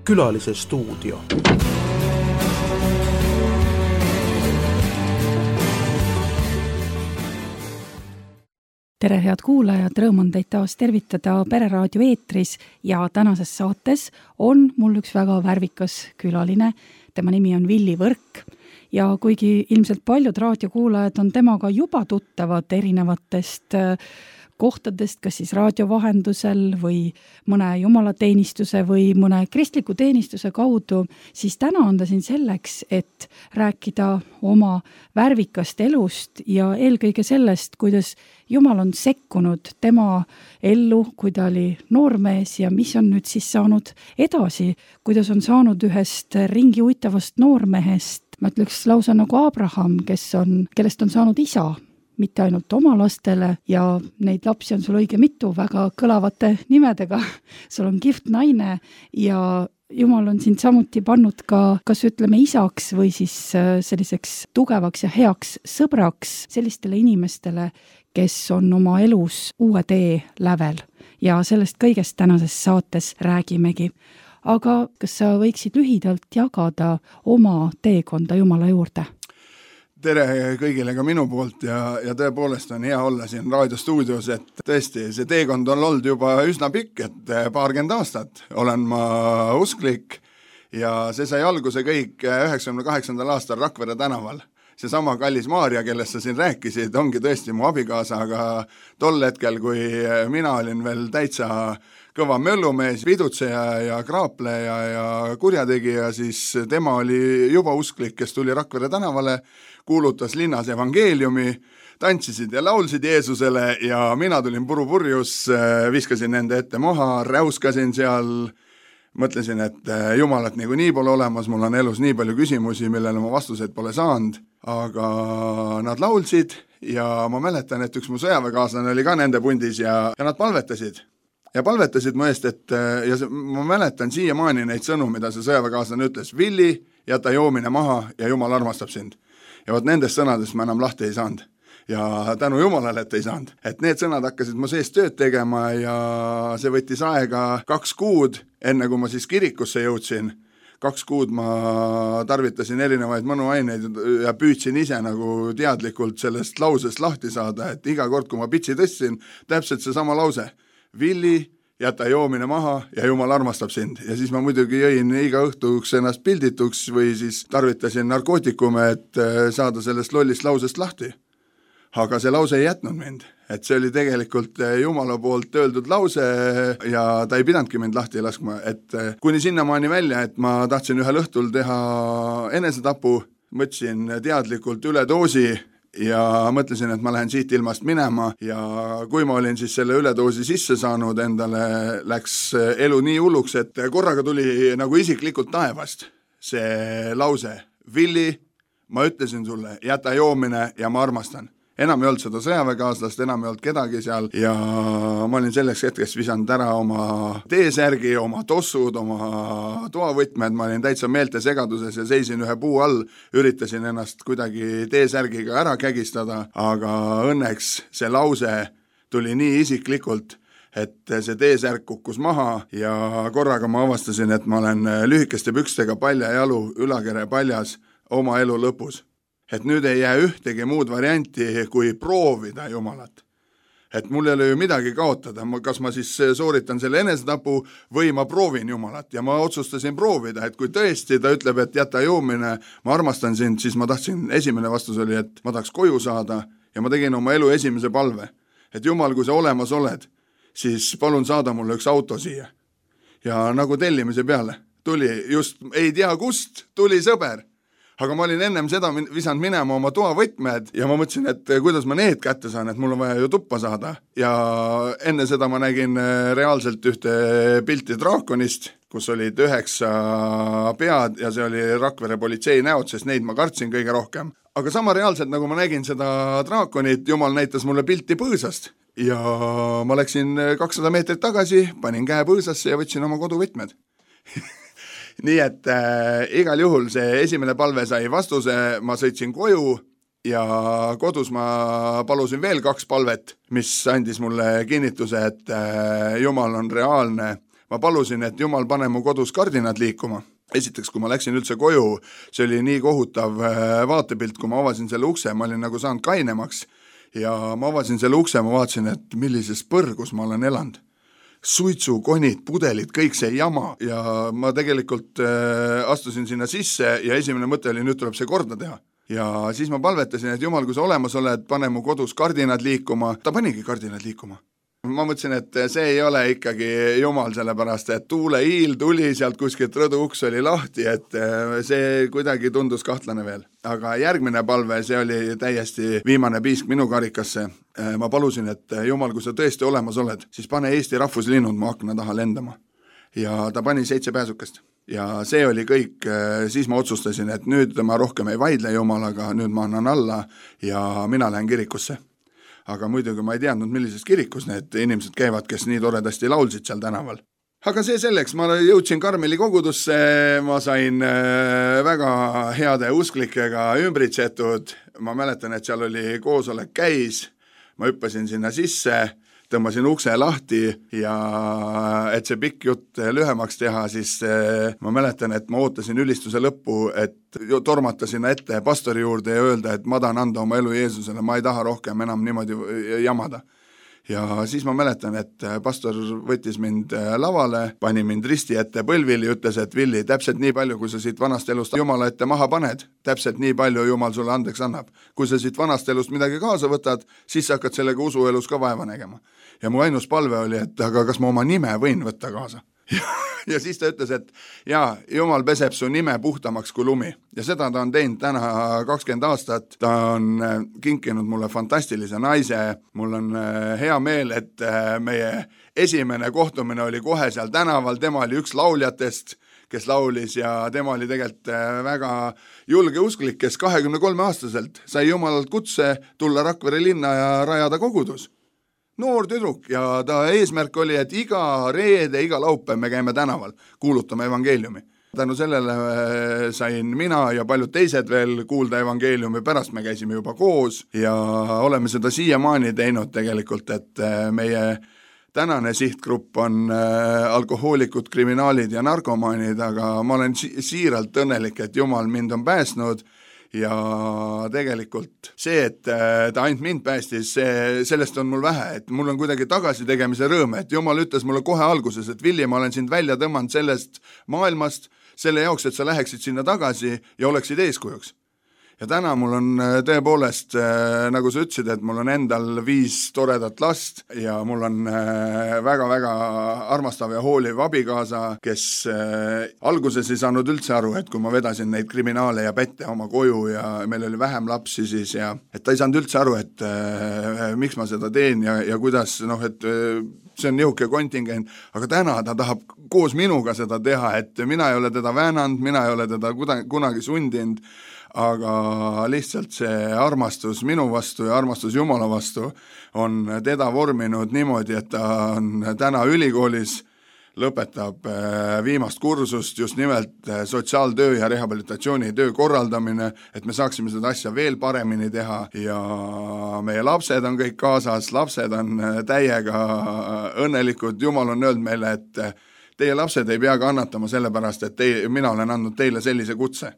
Külalise stuudio. Tere head kuulajad, rõõm on teid taas tervitada Pereraadio eetris ja tänases saates on mul üks väga värvikas külaline. Tema nimi on Villi Võrk ja kuigi ilmselt paljud raadiokuulajad on temaga juba tuttavad erinevatest kohtadest, kas siis raadio vahendusel või mõne jumalateenistuse või mõne kristliku teenistuse kaudu, siis täna on ta siin selleks, et rääkida oma värvikast elust ja eelkõige sellest, kuidas Jumal on sekkunud tema ellu, kui ta oli noormees ja mis on nüüd siis saanud edasi, kuidas on saanud ühest ringi uitavast noormehest, ma ütleks lausa nagu Abraham, kellest on saanud isa, mitte ainult oma lastele ja neid lapsi on sul õige mitu väga kõlavate nimedega. Sul on kihvt naine ja Jumal on sind samuti pannud ka, kas ütleme isaks või siis selliseks tugevaks ja heaks sõbraks sellistele inimestele, kes on oma elus uue tee lävel ja sellest kõigest tänases saates räägimegi. Aga kas sa võiksid lühidalt jagada oma teekonda Jumala juurde? Tere kõigile ka minu poolt ja tõepoolest on hea olla siin raadiostuudios, et tõesti see teekond on olnud juba üsna pikk, et paarkümmend aastat olen ma usklik ja see sai alguse kõik 98. aastal Rakvere tänaval. Seesama kallis Maarja, kellest sa siin rääkisid, ongi tõesti mu abikaasa, aga tol hetkel, kui mina olin veel täitsa kõva möllumees, pidutseja ja kraapleja ja kurjategija, siis tema oli juba usklik, kes tuli Rakvere tänavale, kuulutas linnas evangeeliumi, tantsisid ja laulsid Jeesusele ja mina tulin purjus, viskasin nende ette maha, räuskasin seal, mõtlesin, et Jumalat nii pole olemas, mul on elus nii palju küsimusi, millele ma vastuseid pole saanud, aga nad laulsid ja ma mäletan, et üks mu sõjaväekaaslane oli ka nende pundis ja nad palvetasid. Ja palvetasid mu eest, ma mäletan siiamaani neid sõnu, mida see sõjaväekaaslane ütles, Villi, jäta joomine maha ja Jumal armastab sind. Ja vot nendest sõnadest ma enam lahti ei saanud. Ja tänu Jumalale, et ei saanud. Et need sõnad hakkasid mu sees tööd tegema ja see võttis aega 2 kuud, enne kui ma siis kirikusse jõudsin. 2 kuud ma tarvitasin erinevaid mõnuaineid ja püüdsin ise nagu teadlikult sellest lausest lahti saada, et iga kord, kui ma pitsi tõstsin, täpselt see sama lause. Villi, jäta joomine maha ja Jumal armastab sind. Ja siis ma muidugi jõin iga õhtuks ennast pildituks või siis tarvitasin narkootikume, et saada sellest lollist lausest lahti. Aga see lause ei jätnud mind. Et see oli tegelikult Jumala poolt öeldud lause ja ta ei pidanudki mind lahti laskma. Et kuni sinnamaani välja, et ma tahtsin ühel õhtul teha enesetapu, mõtlesin teadlikult üledoosi ja mõtlesin, et ma lähen siit ilmast minema ja kui ma olin siis selle üledoosi sisse saanud, endale läks elu nii hulluks, et korraga tuli nagu isiklikult taevast see lause. Villi, ma ütlesin sulle, jäta joomine ja ma armastan. Enam ei olnud seda sõjaväekaaslast, enam ei olnud kedagi seal ja ma olin selleks hetkest visanud ära oma teesärgi, oma tossud, oma toavõtmed, ma olin täitsa meelte segaduses ja seisin ühe puu all, üritasin ennast kuidagi teesärgiga ära kägistada, aga õnneks see lause tuli nii isiklikult, et see teesärk kukkus maha ja korraga ma avastasin, et ma olen lühikeste pükstega paljajalu, ülakere paljas oma elu lõpus. Et nüüd ei jää ühtegi muud varianti, kui proovida Jumalat. Et mul ei ole ju midagi kaotada, kas ma siis sooritan selle enesetapu või ma proovin Jumalat ja ma otsustasin proovida, et kui tõesti ta ütleb, et jäta joomine, ma armastan sind, siis ma tahtsin, esimene vastus oli, et ma tahaks koju saada ja ma tegin oma elu esimese palve. Et Jumal, kui sa olemas oled, siis palun saada mulle üks auto siia. Ja nagu tellimise peale tuli just, ei tea kust, tuli sõber. Aga ma olin ennem seda visanud minema oma toavõtmed ja ma mõtlesin, et kuidas ma need kätte saan, et mul on vaja ju tuppa saada. Ja enne seda ma nägin reaalselt ühte pilti draakonist, kus olid 9 pead ja see oli Rakvere politsei näod, sest neid ma kartsin kõige rohkem. Aga sama reaalselt, nagu ma nägin seda draakonit, Jumal näitas mulle pilti põõsast ja ma läksin 200 meetrit tagasi, panin käe põõsasse ja võtsin oma koduvõtmed. Nii et igal juhul see esimene palve sai vastuse, ma sõitsin koju ja kodus ma palusin veel 2 palvet, mis andis mulle kinnituse, et Jumal on reaalne. ma palusin, et Jumal pane mu kodus kardinad liikuma. Esiteks, kui ma läksin üldse koju, see oli nii kohutav vaatepilt, kui ma avasin selle ukse, ma olin nagu saanud kainemaks ja ma avasin selle ukse, ma vaatasin, et millises põrgus ma olen elanud. Suitsukonid, pudelid, kõik see jama ja ma tegelikult astusin sinna sisse ja esimene mõte oli, nüüd tuleb see korda teha. Ja siis ma palvetasin, et Jumal, kui sa olemas oled, pane mu kodus kardinad liikuma. Ta panigi kardinad liikuma. Ma mõtlesin, et see ei ole ikkagi Jumal, sellepärast, et tuulehiil tuli sealt kuskilt rõduuks oli lahti, et see kuidagi tundus kahtlane veel. Aga järgmine palve, see oli täiesti viimane piisk minu karikasse. Ma palusin, et Jumal, kui sa tõesti olemas oled, siis pane Eesti rahvuslinnud mu akna taha lendama. Ja ta pani 7 pääsukest. Ja see oli kõik, siis ma otsustasin, et nüüd ma rohkem ei vaidle Jumalaga, nüüd ma annan alla ja mina lähen kirikusse. Aga muidugi ma ei teadnud, millises kirikus need inimesed käivad, kes nii toredasti laulsid seal tänaval. Aga see selleks, ma jõudsin Karmeli kogudusse, ma sain väga heade usklikega ümbritsetud, ma mäletan, et seal oli koosolek käis, ma hüppasin sinna sisse, tõmbasin ukse lahti ja et see pikk jutt lühemaks teha, siis ma mäletan, et ma ootasin ülistuse lõppu, et tormata sinna ette pastori juurde ja öelda, et ma tahan anda oma elu Jeesusele, ma ei taha rohkem enam niimoodi jamada. Ja siis ma mäletan, et pastor võttis mind lavale, pani mind risti ette põlvili ja ütles, et Villi, täpselt nii palju, kui sa siit vanast elust Jumala ette maha paned, täpselt nii palju Jumal sulle andeks annab. Kui sa siit vanast elust midagi kaasa võtad, siis sa hakkad sellega usuelus ka vaeva nägema. Ja mu ainus palve oli, et aga kas ma oma nime võin võtta kaasa? Ja siis ta ütles, et jaa, Jumal peseb su nime puhtamaks kui lumi. Ja seda ta on teinud täna 20 aastat. Ta on kinkinud mulle fantastilise naise. Mul on hea meel, et meie esimene kohtumine oli kohe seal tänaval. Tema oli üks lauljatest, kes laulis ja tema oli tegelikult väga julge usklik, kes 23-aastaselt sai Jumalalt kutse tulla Rakvere linna ja rajada kogudus. Noor tüdruk ja ta eesmärk oli, et iga reede, iga laupäev me käime tänaval, kuulutame evangeeliumi. Tänu sellele sain mina ja paljud teised veel kuulda evangeeliumi, pärast me käisime juba koos ja oleme seda siiamaani teinud tegelikult, et meie tänane sihtgrupp on alkohoolikud, kriminaalid ja narkomaanid, aga ma olen siiralt õnnelik, et Jumal mind on päästnud. Ja tegelikult see, et ta ainult mind päästis, sellest on mul vähe, et mul on kuidagi tagasi tegemise rõõm, et Jumal ütles mulle kohe alguses, et Villi, ma olen sind välja tõmmanud sellest maailmast, selle jaoks, et sa läheksid sinna tagasi ja oleksid eeskujuks. Ja täna mul on tõepoolest, nagu sa ütlesid, et mul on endal 5 toredat last ja mul on väga-väga armastav ja hooliv abikaasa, kes alguses ei saanud üldse aru, et kui ma vedasin neid kriminaale ja pätte oma koju ja meil oli vähem lapsi siis ja et ta ei saanud üldse aru, et miks ma seda teen ja kuidas, et see on nihuke kontingent, aga täna ta tahab koos minuga seda teha, et mina ei ole teda väänanud, mina ei ole teda kunagi sundinud, aga lihtsalt see armastus minu vastu ja armastus Jumala vastu on teda vorminud niimoodi, et ta on täna ülikoolis, lõpetab viimast kursust, just nimelt sotsiaaltöö ja rehabilitatsiooni töö korraldamine, et me saaksime seda asja veel paremini teha ja meie lapsed on kõik kaasas, lapsed on täiega õnnelikud, Jumal on öelnud meile, et teie lapsed ei pea kannatama sellepärast, et mina olen andnud teile sellise kutse.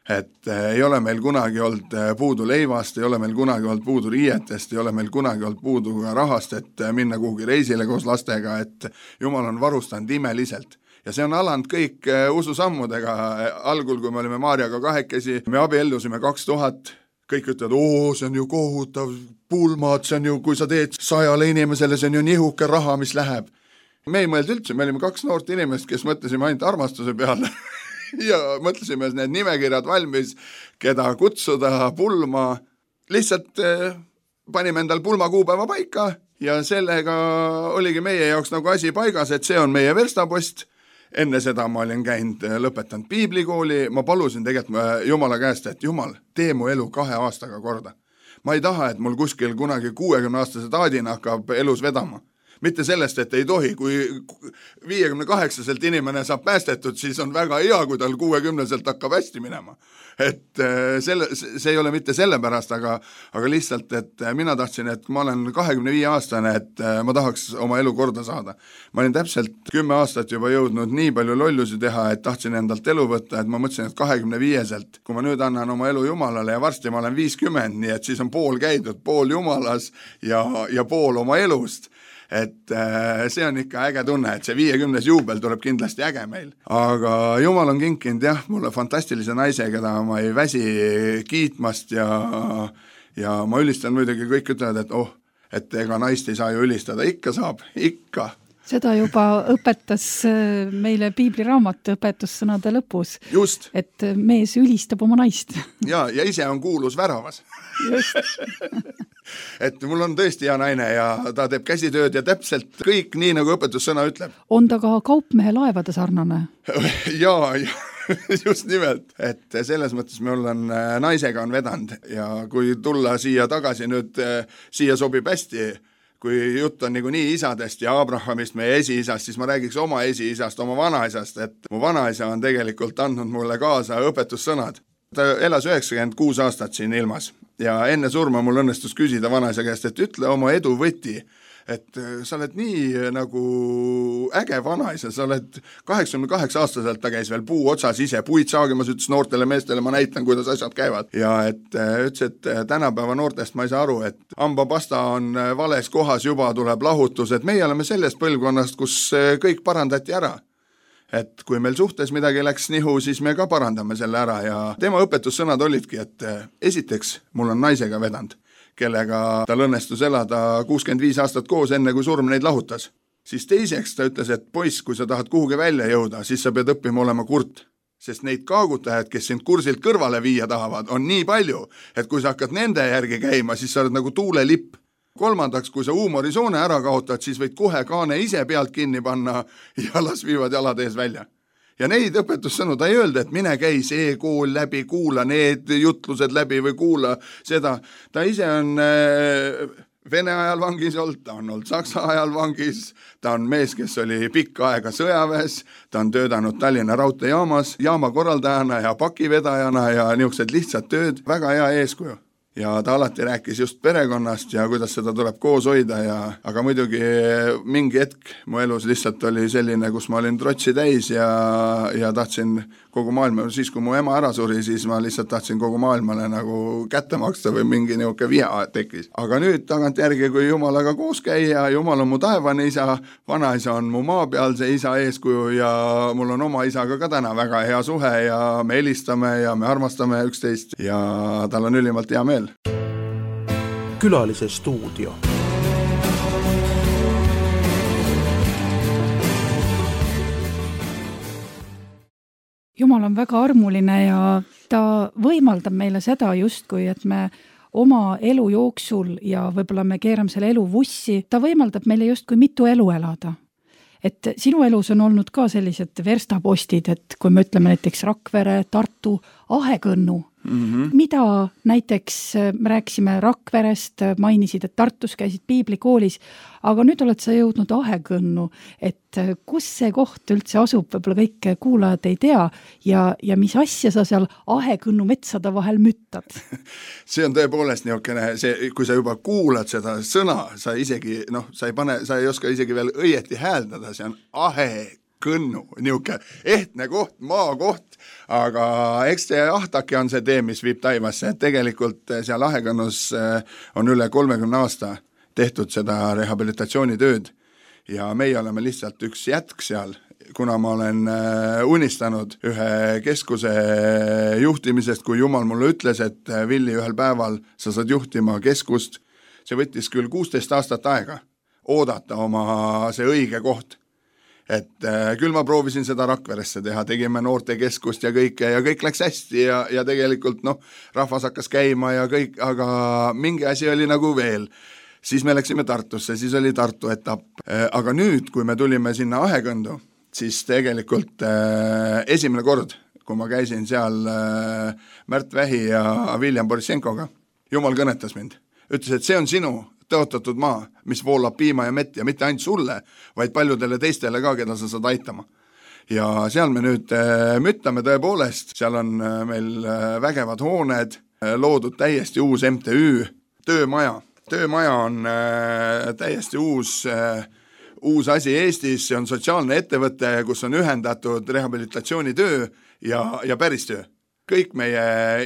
Et ei ole meil kunagi olnud puudu leivast, ei ole meil kunagi olnud puudu riietest, ei ole meil kunagi olnud puudu rahast, et minna kuhugi reisile koos lastega, et Jumal on varustanud imeliselt. Ja see on alanud kõik ususammudega. Algul, kui me olime Maarjaga kahekesi, me abiellusime 2000, kõik ütlevad, see on ju kohutav pulmad, see on ju, kui sa teed 100 inimesele, see on ju nihuke raha, mis läheb. Me ei mõelnud üldse, me olime 2 noort inimest, kes mõtlesime ainult armastuse peale. Ja mõtlesime need nimekirjad valmis, keda kutsuda pulma. Lihtsalt panime endal pulma kuupäeva paika ja sellega oligi meie jaoks nagu asi paigas, et see on meie verstapost. Enne seda ma olin käinud, lõpetanud piiblikooli, ma palusin tegelikult Jumala käest, et Jumal, tee mu elu 2 aastaga korda. Ma ei taha, et mul kuskil kunagi 60-aastase taadina hakkab elus vedama. mitte sellest, et ei tohi, kui 58-selt inimene saab päästetud, siis on väga hea, kui tal 60-selt hakkab hästi minema. Et see ei ole mitte sellepärast, aga lihtsalt, et mina tahtsin, et ma olen 25-aastane, et ma tahaks oma elu korda saada. Ma olin täpselt 10 aastat juba jõudnud nii palju lollusi teha, et tahtsin endalt elu võtta, et ma mõtlesin, et 25-selt, kui ma nüüd annan oma elu Jumalale ja varsti ma olen 50, nii et siis on pool käidud, pool Jumalas ja pool oma elust. Et see on ikka äge tunne, et see 50. juubel tuleb kindlasti äge meil. Aga Jumal on kinkinud mulle fantastilise naise, keda ma ei väsi kiitmast ja ma ülistan muidugi, kõik ütlevad, et ega naist ei saa ju ülistada, ikka saab, ikka. Seda juba õpetas meile piibliraamat õpetussõnade lõpus. Just. Et mees ülistab oma naist. Ja ise on kuulus väravas. Just. Et mul on tõesti hea naine ja ta teeb käsitööd ja täpselt kõik nii, nagu õpetussõna ütleb. On ta ka kaupmehe laevade sarnane? Ja just nimelt, et selles mõttes meil on naisega on vedanud ja kui tulla siia tagasi nüüd, siia sobib hästi, kui jutt on nii isadest ja Abrahamist, meie esiisast, siis ma räägiks oma esiisast, oma vanaisast, et mu vanaisa on tegelikult andnud mulle kaasa õpetussõnad. Ta elas 96 aastat siin ilmas ja enne surma mul õnnestus küsida vanaisa käest, et ütle oma edu võti, et sa oled nii nagu äge vanaisa, sa oled 88-aastaselt, ta käis veel puu otsas ise, puid saagimas, ütles noortele meestele, ma näitan, kuidas asjad käivad. Ja ütles, et tänapäeva noortest ma ei saa aru, et hambapasta on vales kohas, juba tuleb lahutus, et meie oleme sellest põlvkonnast, kus kõik parandati ära. Et kui meil suhtes midagi läks nihu, siis me ka parandame selle ära ja tema õpetussõnad olidki, et esiteks mul on naisega vedanud, kellega tal õnnestus elada 65 aastat koos, enne kui surm neid lahutas. Siis teiseks ta ütles, et poiss, kui sa tahad kuhugi välja jõuda, siis sa pead õppima olema kurt. Sest neid kaagutajad, kes sind kursilt kõrvale viia tahavad, on nii palju, et kui sa hakkad nende järgi käima, siis sa oled nagu tuulelipp. Kolmandaks, kui sa huumorisoone ära kaotad, siis võid kohe kaane ise pealt kinni panna ja las viivad jalad ees välja. Ja neid õpetussõnu ta ei öelda, et mine käi see kool läbi, kuula need jutlused läbi või kuula seda. Ta ise on Vene ajal vangis olnud, ta on olnud Saksa ajal vangis, ta on mees, kes oli pikka aega sõjaväes, ta on töötanud Tallinna raudteejaamas, jaama korraldajana ja pakivedajana ja niisugused lihtsad tööd, väga hea eeskuju. Ja ta alati rääkis just perekonnast ja kuidas seda tuleb koos hoida aga muidugi mingi hetk mu elus lihtsalt oli selline, kus ma olin trotsi täis ja tahtsin kogu maailma, siis kui mu ema ära suri, siis ma lihtsalt tahtsin kogu maailmale nagu kätte maksta või mingi niisugune viha tekkis. Aga nüüd tagant järgi, kui Jumalaga koos käia, Jumal on mu taevane isa, vanaisa on mu maapealse isa eeskuju ja mul on oma isaga ka täna väga hea suhe ja me helistame ja me armastame üksteist ja tal on ülimalt hea meel. Külalise stuudio. Jumal on väga armuline ja ta võimaldab meile seda justkui, et me oma elu jooksul ja võib-olla me keerame selle elu vussi, ta võimaldab meile justkui mitu elu elada. Et sinu elus on olnud ka sellised verstapostid, et kui me ütleme näiteks Rakvere, Tartu, Ahekõnnu, mida näiteks me rääkisime Rakverest, mainisid, et Tartus käisid piiblikoolis, aga nüüd oled sa jõudnud Ahekõnnu, et kus see koht üldse asub, võib-olla kõik kuulajad ei tea ja mis asja sa seal Ahekõnnu metsade vahel müttad? See on tõepoolest niisugune, kui sa juba kuulad seda sõna, sa isegi, sa ei oska isegi veel õieti hääldada, see on Ahekõnnu, niisugune ehtne koht, maakoht, aga eks see Ahtake on see tee, mis viib taivasse, et tegelikult seal Ahekõnnus on üle 30 aasta tehtud seda rehabilitatsioonitööd ja meie oleme lihtsalt üks jätk seal, kuna ma olen unistanud ühe keskuse juhtimisest, kui Jumal mulle ütles, et Villi, ühel päeval sa saad juhtima keskust, see võttis küll 16 aastat aega oodata oma see õige koht. Et küll ma proovisin seda Rakveresse teha, tegime noortekeskust ja kõik läks hästi ja tegelikult rahvas hakkas käima ja kõik, aga mingi asi oli nagu veel. Siis me läksime Tartusse, siis oli Tartu etapp. Aga nüüd, kui me tulime sinna Ahekõndu, siis tegelikult esimene kord, kui ma käisin seal Märt Vähi ja William Borissenkoga, Jumal kõnetas mind. Ütles, et see on sinu tõotatud maa, mis voolab piima ja mett ja mitte ainult sulle, vaid paljudele teistele ka, keda sa saad aitama. Ja seal me nüüd müttame tõepoolest, seal on meil vägevad hooned, loodud täiesti uus MTÜ, töömaja. Töömaja on täiesti uus asi Eestis, see on sotsiaalne ettevõte, kus on ühendatud rehabilitatsioonitöö ja päristöö. Kõik meie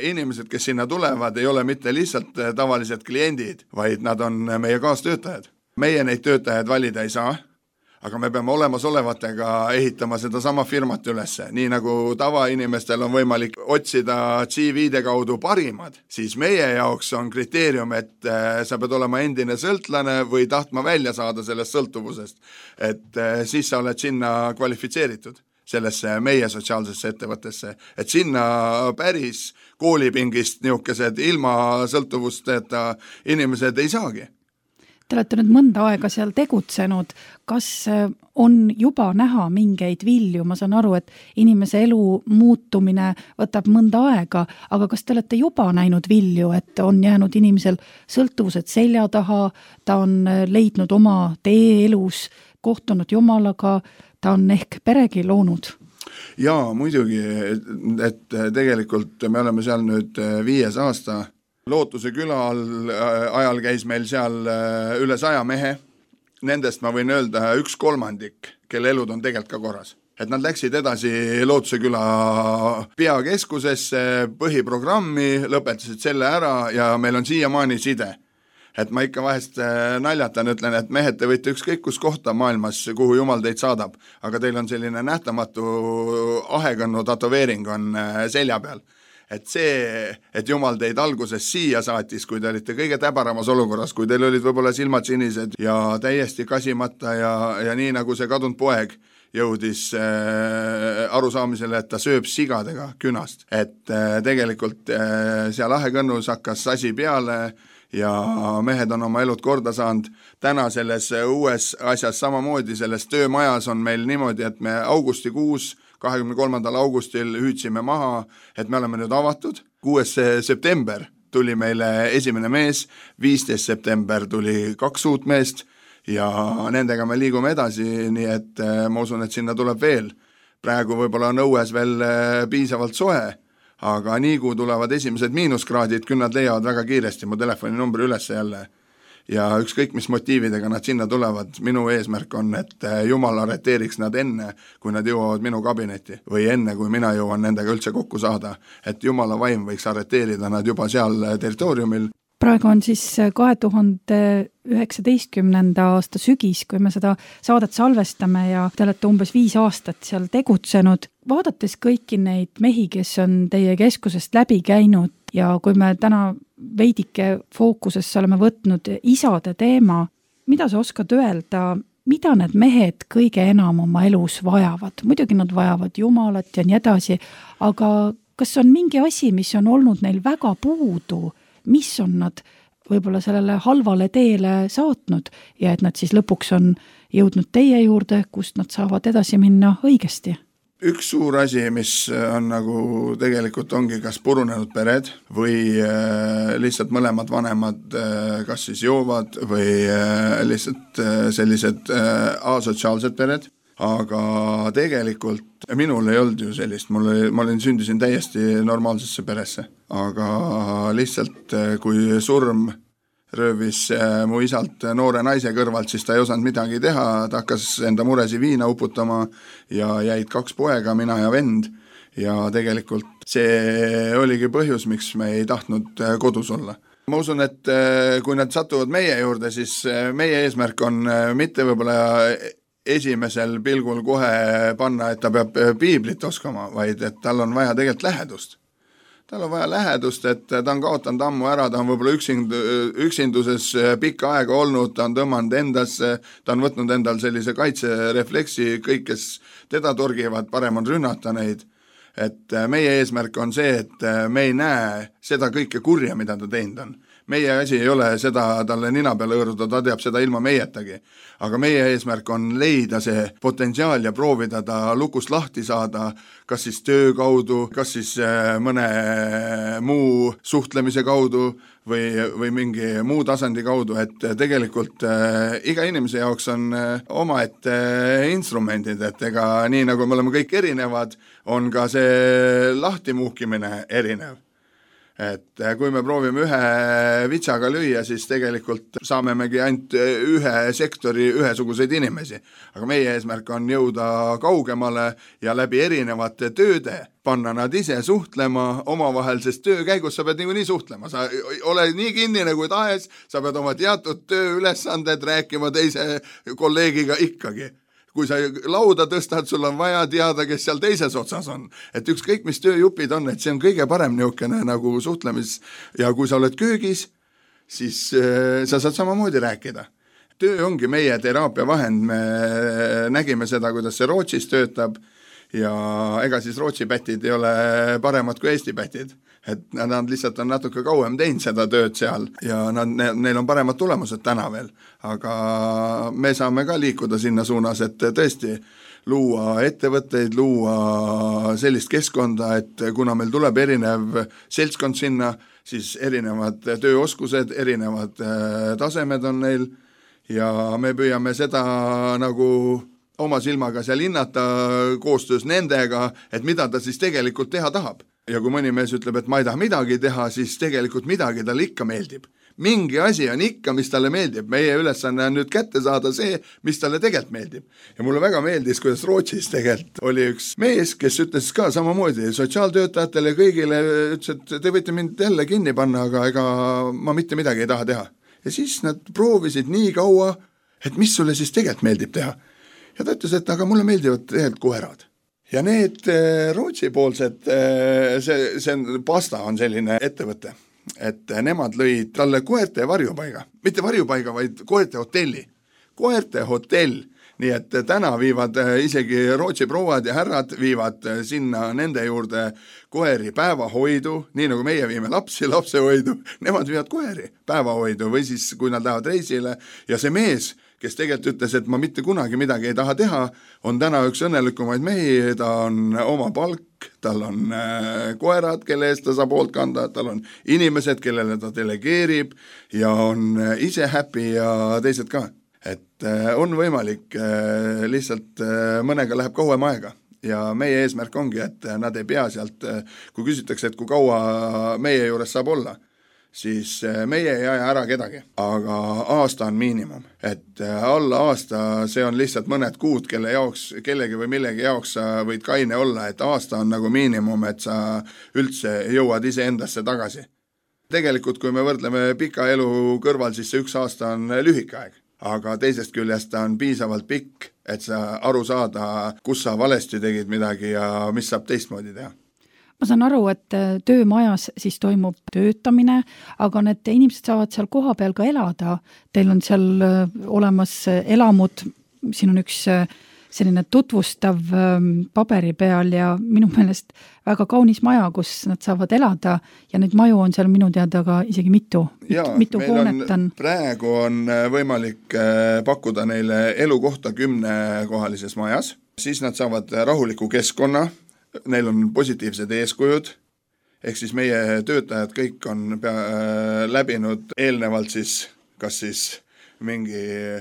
inimesed, kes sinna tulevad, ei ole mitte lihtsalt tavalised kliendid, vaid nad on meie kaastöötajad. Meie neid töötajaid valida ei saa, aga me peame olemasolevatega ehitama seda sama firmat ülesse. Nii nagu tavainimestel on võimalik otsida CV-de kaudu parimad, siis meie jaoks on kriteerium, et sa pead olema endine sõltlane või tahtma välja saada sellest sõltuvusest. Et siis sa oled sinna kvalifitseeritud sellesse meie sotsiaalsesse ettevõttesse, et sinna päris koolipingist niisugused ilma sõltuvusteta inimesed ei saagi. Te olete nüüd mõnda aega seal tegutsenud, kas on juba näha mingeid vilju? Ma saan aru, et inimese elu muutumine võtab mõnda aega, aga kas te olete juba näinud vilju, et on jäänud inimesel sõltuvused selja taha, ta on leidnud oma tee elus, kohtunud Jumalaga, ta on ehk peregi loonud? Jaa, muidugi, et tegelikult me oleme seal nüüd 5 aasta. Lootuse küla ajal käis meil seal üle 100 mehe. Nendest ma võin öelda 1/3, kelle elud on tegelikult ka korras. Et nad läksid edasi Lootuse küla peakeskusesse, põhiprogrammi, lõpetasid selle ära ja meil on siiamaani side. Et ma ikka vahest naljatan, ütlen, et mehed, te võite ükskõik kus kohta maailmas, kuhu Jumal teid saadab, aga teil on selline nähtamatu ahekõnnu tatoveering on selja peal. Et see, et Jumal teid alguses siia saatis, kui te olite kõige täbaramas olukorras, kui teil olid võib-olla silmad sinised ja täiesti kasimata ja nii nagu see kadunud poeg jõudis arusaamisele, et ta sööb sigadega künast. Et tegelikult seal ahekõnnus hakkas asi peale ja mehed on oma elud korda saanud. Täna selles uues asjas samamoodi, selles töömajas on meil niimoodi, et me augustikuus, 23. augustil hüüdsime maha, et me oleme nüüd avatud. 6. september tuli meile esimene mees, 15. september tuli 2 uut meest ja nendega me liigume edasi, nii et ma usun, et sinna tuleb veel. Praegu võib-olla on õues veel piisavalt soe, aga nii kui tulevad esimesed miinuskraadid, küll nad leiavad väga kiiresti mu telefoninumbri üles jälle. Ja ükskõik mis motiividega nad sinna tulevad, minu eesmärk on, et Jumal arreteeriks nad enne, kui nad jõuavad minu kabinetti või enne, kui mina jõuan nendega üldse kokku saada, et Jumala vaim võiks arreteerida nad juba seal territooriumil. Praegu on siis 2019. aasta sügis, kui me seda saadet salvestame ja te olete umbes 5 aastat seal tegutsenud. Vaadates kõiki neid mehi, kes on teie keskusest läbi käinud ja kui me täna veidike fookusesse oleme võtnud isade teema, mida sa oskad öelda, mida need mehed kõige enam oma elus vajavad? Muidugi nad vajavad Jumalat ja nii edasi, aga kas on mingi asi, mis on olnud neil väga puudu, mis on nad võib-olla sellele halvale teele saatnud ja et nad siis lõpuks on jõudnud teie juurde, kust nad saavad edasi minna õigesti? Üks suur asi, mis on nagu tegelikult ongi kas purunenud pered või lihtsalt mõlemad vanemad kas siis joovad või lihtsalt sellised asotsiaalsed pered. Aga tegelikult minul ei olnud ju sellist, ma sündisin täiesti normaalsesse peresse, aga lihtsalt kui surm röövis mu isalt noore naise kõrvalt, siis ta ei osanud midagi teha, ta hakkas enda muresi viina uputama ja jäid 2 poega, mina ja vend ja tegelikult see oligi põhjus, miks me ei tahtnud kodus olla. Ma usun, et kui nad satuvad meie juurde, siis meie eesmärk on mitte võib-olla esimesel pilgul kohe panna, et ta peab piiblit oskama, vaid et tal on vaja tegelikult lähedust. Tal on vaja lähedust, et ta on kaotanud ammu ära, ta on võib-olla üksinduses pikka aega olnud, ta on tõmmanud endasse, ta on võtnud endal sellise kaitserefleksi, kõik, kes teda torgivad, parem on rünnata neid. Et meie eesmärk on see, et me ei näe seda kõike kurja, mida ta teinud on. meie asi ei ole seda talle nina peale hõõruda, ta teab seda ilma meietagi. Aga meie eesmärk on leida see potentsiaal ja proovida ta lukust lahti saada, kas siis töö kaudu, kas siis mõne muu suhtlemise kaudu või mingi muu tasandi kaudu, et tegelikult iga inimese jaoks on omaette instrumendid, et ega nii nagu me oleme kõik erinevad, on ka see lahtimuhkimine erinev. Et kui me proovime ühe vitsaga lüüa, siis tegelikult saamegi ainult ühe sektori ühesuguseid inimesi. Aga meie eesmärk on jõuda kaugemale ja läbi erinevate tööde panna nad ise suhtlema omavahel, sest töö käigus sa pead niikuinii suhtlema. Sa ole nii kinnine kui tahes, sa pead oma teatud tööülesanded rääkima teise kolleegiga ikkagi. Kui sa lauda tõstad, sul on vaja teada, kes seal teises otsas on. Et ükskõik, mis tööjupid on, et see on kõige parem niukene nagu suhtlemis. Ja kui sa oled köögis, siis sa saad samamoodi rääkida. Töö ongi meie teraapia vahend. Me nägime seda, kuidas see Rootsis töötab ja ega siis Rootsi pätid ei ole paremad kui Eesti pätid. Et nad lihtsalt on natuke kauem teinud seda tööd seal ja neil on paremad tulemused täna veel. Aga me saame ka liikuda sinna suunas, et tõesti luua ettevõtteid, luua sellist keskkonda, et kuna meil tuleb erinev seltskond sinna, siis erinevad tööoskused, erinevad tasemed on neil ja me püüame seda nagu oma silmaga seal hinnata koostöös nendega, et mida ta siis tegelikult teha tahab. Ja kui mõni mees ütleb, et ma ei taha midagi teha, siis tegelikult midagi talle ikka meeldib. Mingi asi on ikka, mis talle meeldib. Meie ülesanne on nüüd kätte saada see, mis talle tegelikult meeldib. Ja mulle väga meeldis, kuidas Rootsis tegelikult oli üks mees, kes ütles ka samamoodi sotsiaaltöötajatele kõigile, ütles, et te võite mind jälle kinni panna, aga ega ma mitte midagi ei taha teha. Ja siis nad proovisid nii kaua, et mis sulle siis tegelikult meeldib teha. Ja ta ütles, et aga mulle meeldivad tegelikult koerad. Ja need Rootsi poolsed, see Pasta on selline ettevõte, et nemad lõid talle koerte varjupaiga, mitte varjupaiga, vaid koerte hotelli. Koerte hotell, nii et täna viivad isegi Rootsi prouad ja härrad viivad sinna nende juurde koeri päevahoidu, nii nagu meie viime lapsehoidu, nemad viivad koeri päevahoidu või siis kui nad lähevad reisile ja see mees, kes tegelikult ütles, et ma mitte kunagi midagi ei taha teha, on täna üks õnnelikumaid mehi, ta on oma palk, tal on koerad, kelle eest ta saab hoolt kanda, tal on inimesed, kellele ta delegeerib ja on ise happy ja teised ka. Et on võimalik, lihtsalt mõnega läheb kauem aega ja meie eesmärk ongi, et nad ei pea sealt, kui küsitakse, et kui kaua meie juures saab olla, siis meie ei aja ära kedagi, aga aasta on miinimum. Et alla aasta, see on lihtsalt mõned kuud, kelle jaoks, kellegi või millegi jaoks sa võid kaine olla, et aasta on nagu miinimum, et sa üldse jõuad ise endasse tagasi. Tegelikult, kui me võrdleme pika elu kõrval, siis see 1 aasta on lühike aeg, aga teisest küljest ta on piisavalt pikk, et sa aru saada, kus sa valesti tegid midagi ja mis saab teistmoodi teha. Ma saan aru, et töömajas siis toimub töötamine, aga need inimesed saavad seal koha peal ka elada. Teil on seal olemas elamud, siin on üks selline tutvustav paberi peal ja minu meelest väga kaunis maja, kus nad saavad elada ja neid maju on seal minu teada ka isegi mitu hoonet on. Praegu on võimalik pakkuda neile elukohta 10-kohalises majas, siis nad saavad rahuliku keskkonna, neil on positiivsed eeskujud, ehk siis meie töötajad kõik on läbinud eelnevalt siis, kas siis mingi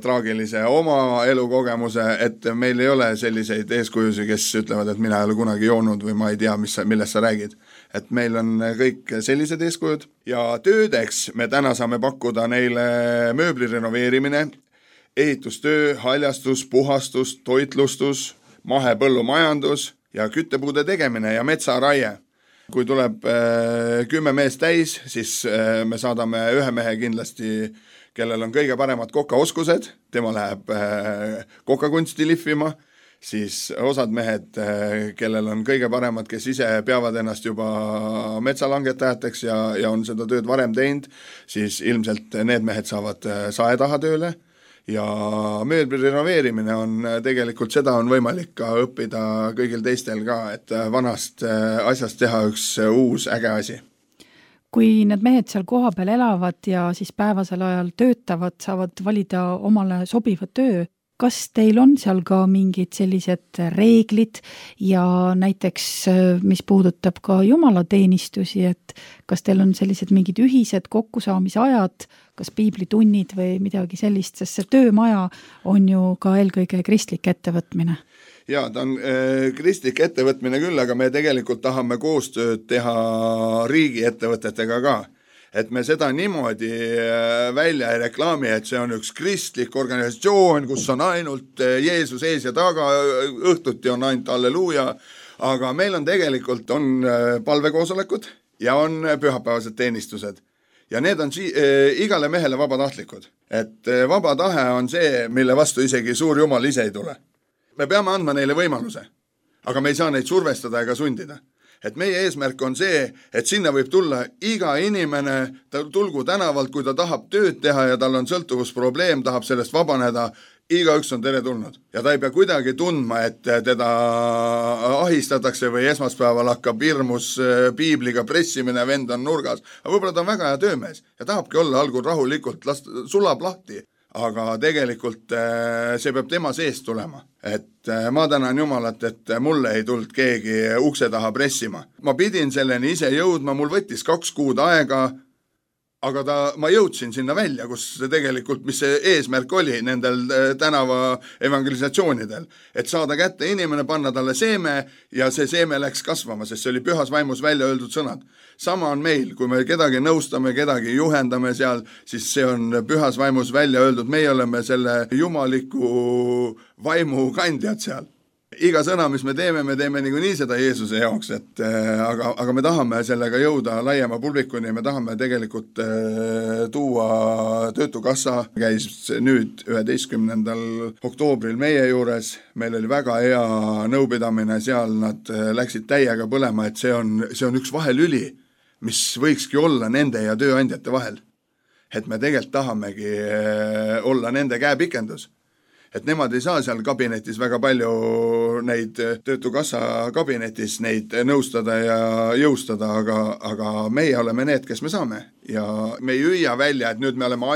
traagilise oma elukogemuse, et meil ei ole selliseid eeskujusi, kes ütlevad, et mina ei ole kunagi joonud või ma ei tea, millest sa räägid. Et meil on kõik sellised eeskujud ja töödeks me täna saame pakkuda neile mööbli renoveerimine, ehitustöö, haljastus, puhastus, toitlustus, mahepõllumajandus ja küttepuude tegemine ja metsaraie. Kui tuleb 10 meest täis, siis me saadame ühe mehe kindlasti, kellel on kõige paremad kokaoskused, tema läheb kokakunsti lihvima, siis osad mehed, kellel on kõige paremad, kes ise peavad ennast juba metsalangetajateks ja on seda tööd varem teinud, siis ilmselt need mehed saavad sae taha tööle. Ja mööbli renoveerimine on tegelikult, seda on võimalik ka õppida kõigil teistel ka, et vanast asjast teha üks uus äge asi. Kui need mehed seal koha peal elavad ja siis päevasel ajal töötavad, saavad valida omale sobiva töö, kas teil on seal ka mingid sellised reeglid ja näiteks, mis puudutab ka jumalateenistusi, et kas teil on sellised mingid ühised kokkusaamisajad, kas piiblitunnid või midagi sellist, sest see töömaja on ju ka eelkõige kristlik ettevõtmine? Jaa, ta on kristlik ettevõtmine küll, aga me tegelikult tahame koostööd teha riigi ettevõtetega ka. Et me seda niimoodi välja ei reklaami, et see on üks kristlik organisatsioon, kus on ainult Jeesus ees ja taga, õhtuti on ainult halleluuja, aga meil on tegelikult palvekoosolekud ja on pühapäevased teenistused. Ja need on igale mehele vabatahtlikud. Et vaba tahe on see, mille vastu isegi suur Jumal ise ei tule. Me peame andma neile võimaluse, aga me ei saa neid survestada ega sundida. Et meie eesmärk on see, et sinna võib tulla iga inimene, tulgu tänavalt, kui ta tahab tööd teha ja tal on sõltuvusprobleem, tahab sellest vabaneda, igaüks on tere tulnud. Ja ta ei pea kuidagi tundma, et teda ahistatakse või esmaspäeval hakkab hirmus piibliga pressimine, vend on nurgas. Aga võib-olla ta on väga hea töömees ja tahabki olla algul rahulikult, sulab lahti. Aga tegelikult see peab tema seest tulema. Et ma tänan Jumalat, et mulle ei tulnud keegi ukse taha pressima. Ma pidin selleni ise jõudma, mul võttis 2 kuud aega, aga ma jõudsin sinna välja, kus tegelikult, mis see eesmärk oli nendel tänava evangelisatsioonidel. Et saada kätte inimene, panna talle seeme ja see seeme läks kasvama, sest see oli pühas vaimus välja öeldud sõnad. Sama on meil, kui me kedagi nõustame, kedagi juhendame seal, siis see on pühas vaimus välja öeldud. Meie oleme selle jumaliku vaimu kandjad seal. Iga sõna, mis me teeme niikuinii seda Jeesuse jaoks, aga me tahame sellega jõuda laiema publikuni, me tahame tegelikult tuua Töötukassa, käis nüüd 11. oktoobril meie juures, meil oli väga hea nõupidamine seal, nad läksid täiega põlema, et see on üks vahelüli, mis võikski olla nende ja tööandjate vahel. Et me tegelikult tahamegi olla nende käepikendus. Et nemad ei saa seal kabinetis väga palju neid Töötukassa kabinetis neid nõustada ja jõustada, aga meie oleme need, kes me saame. Ja me ei hüüa välja, et nüüd me oleme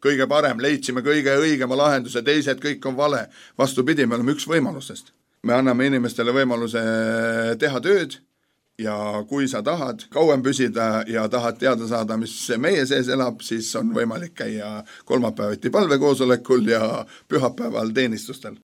kõige parem, leidsime kõige õigema lahenduse, teised kõik on vale. Vastupidi, me oleme üks võimalustest. Me anname inimestele võimaluse teha tööd ja kui sa tahad kauem püsida ja tahad teada saada, mis meie sees elab, siis on võimalik käia kolmapäeviti palvekoosolekul ja pühapäeval teenistustel.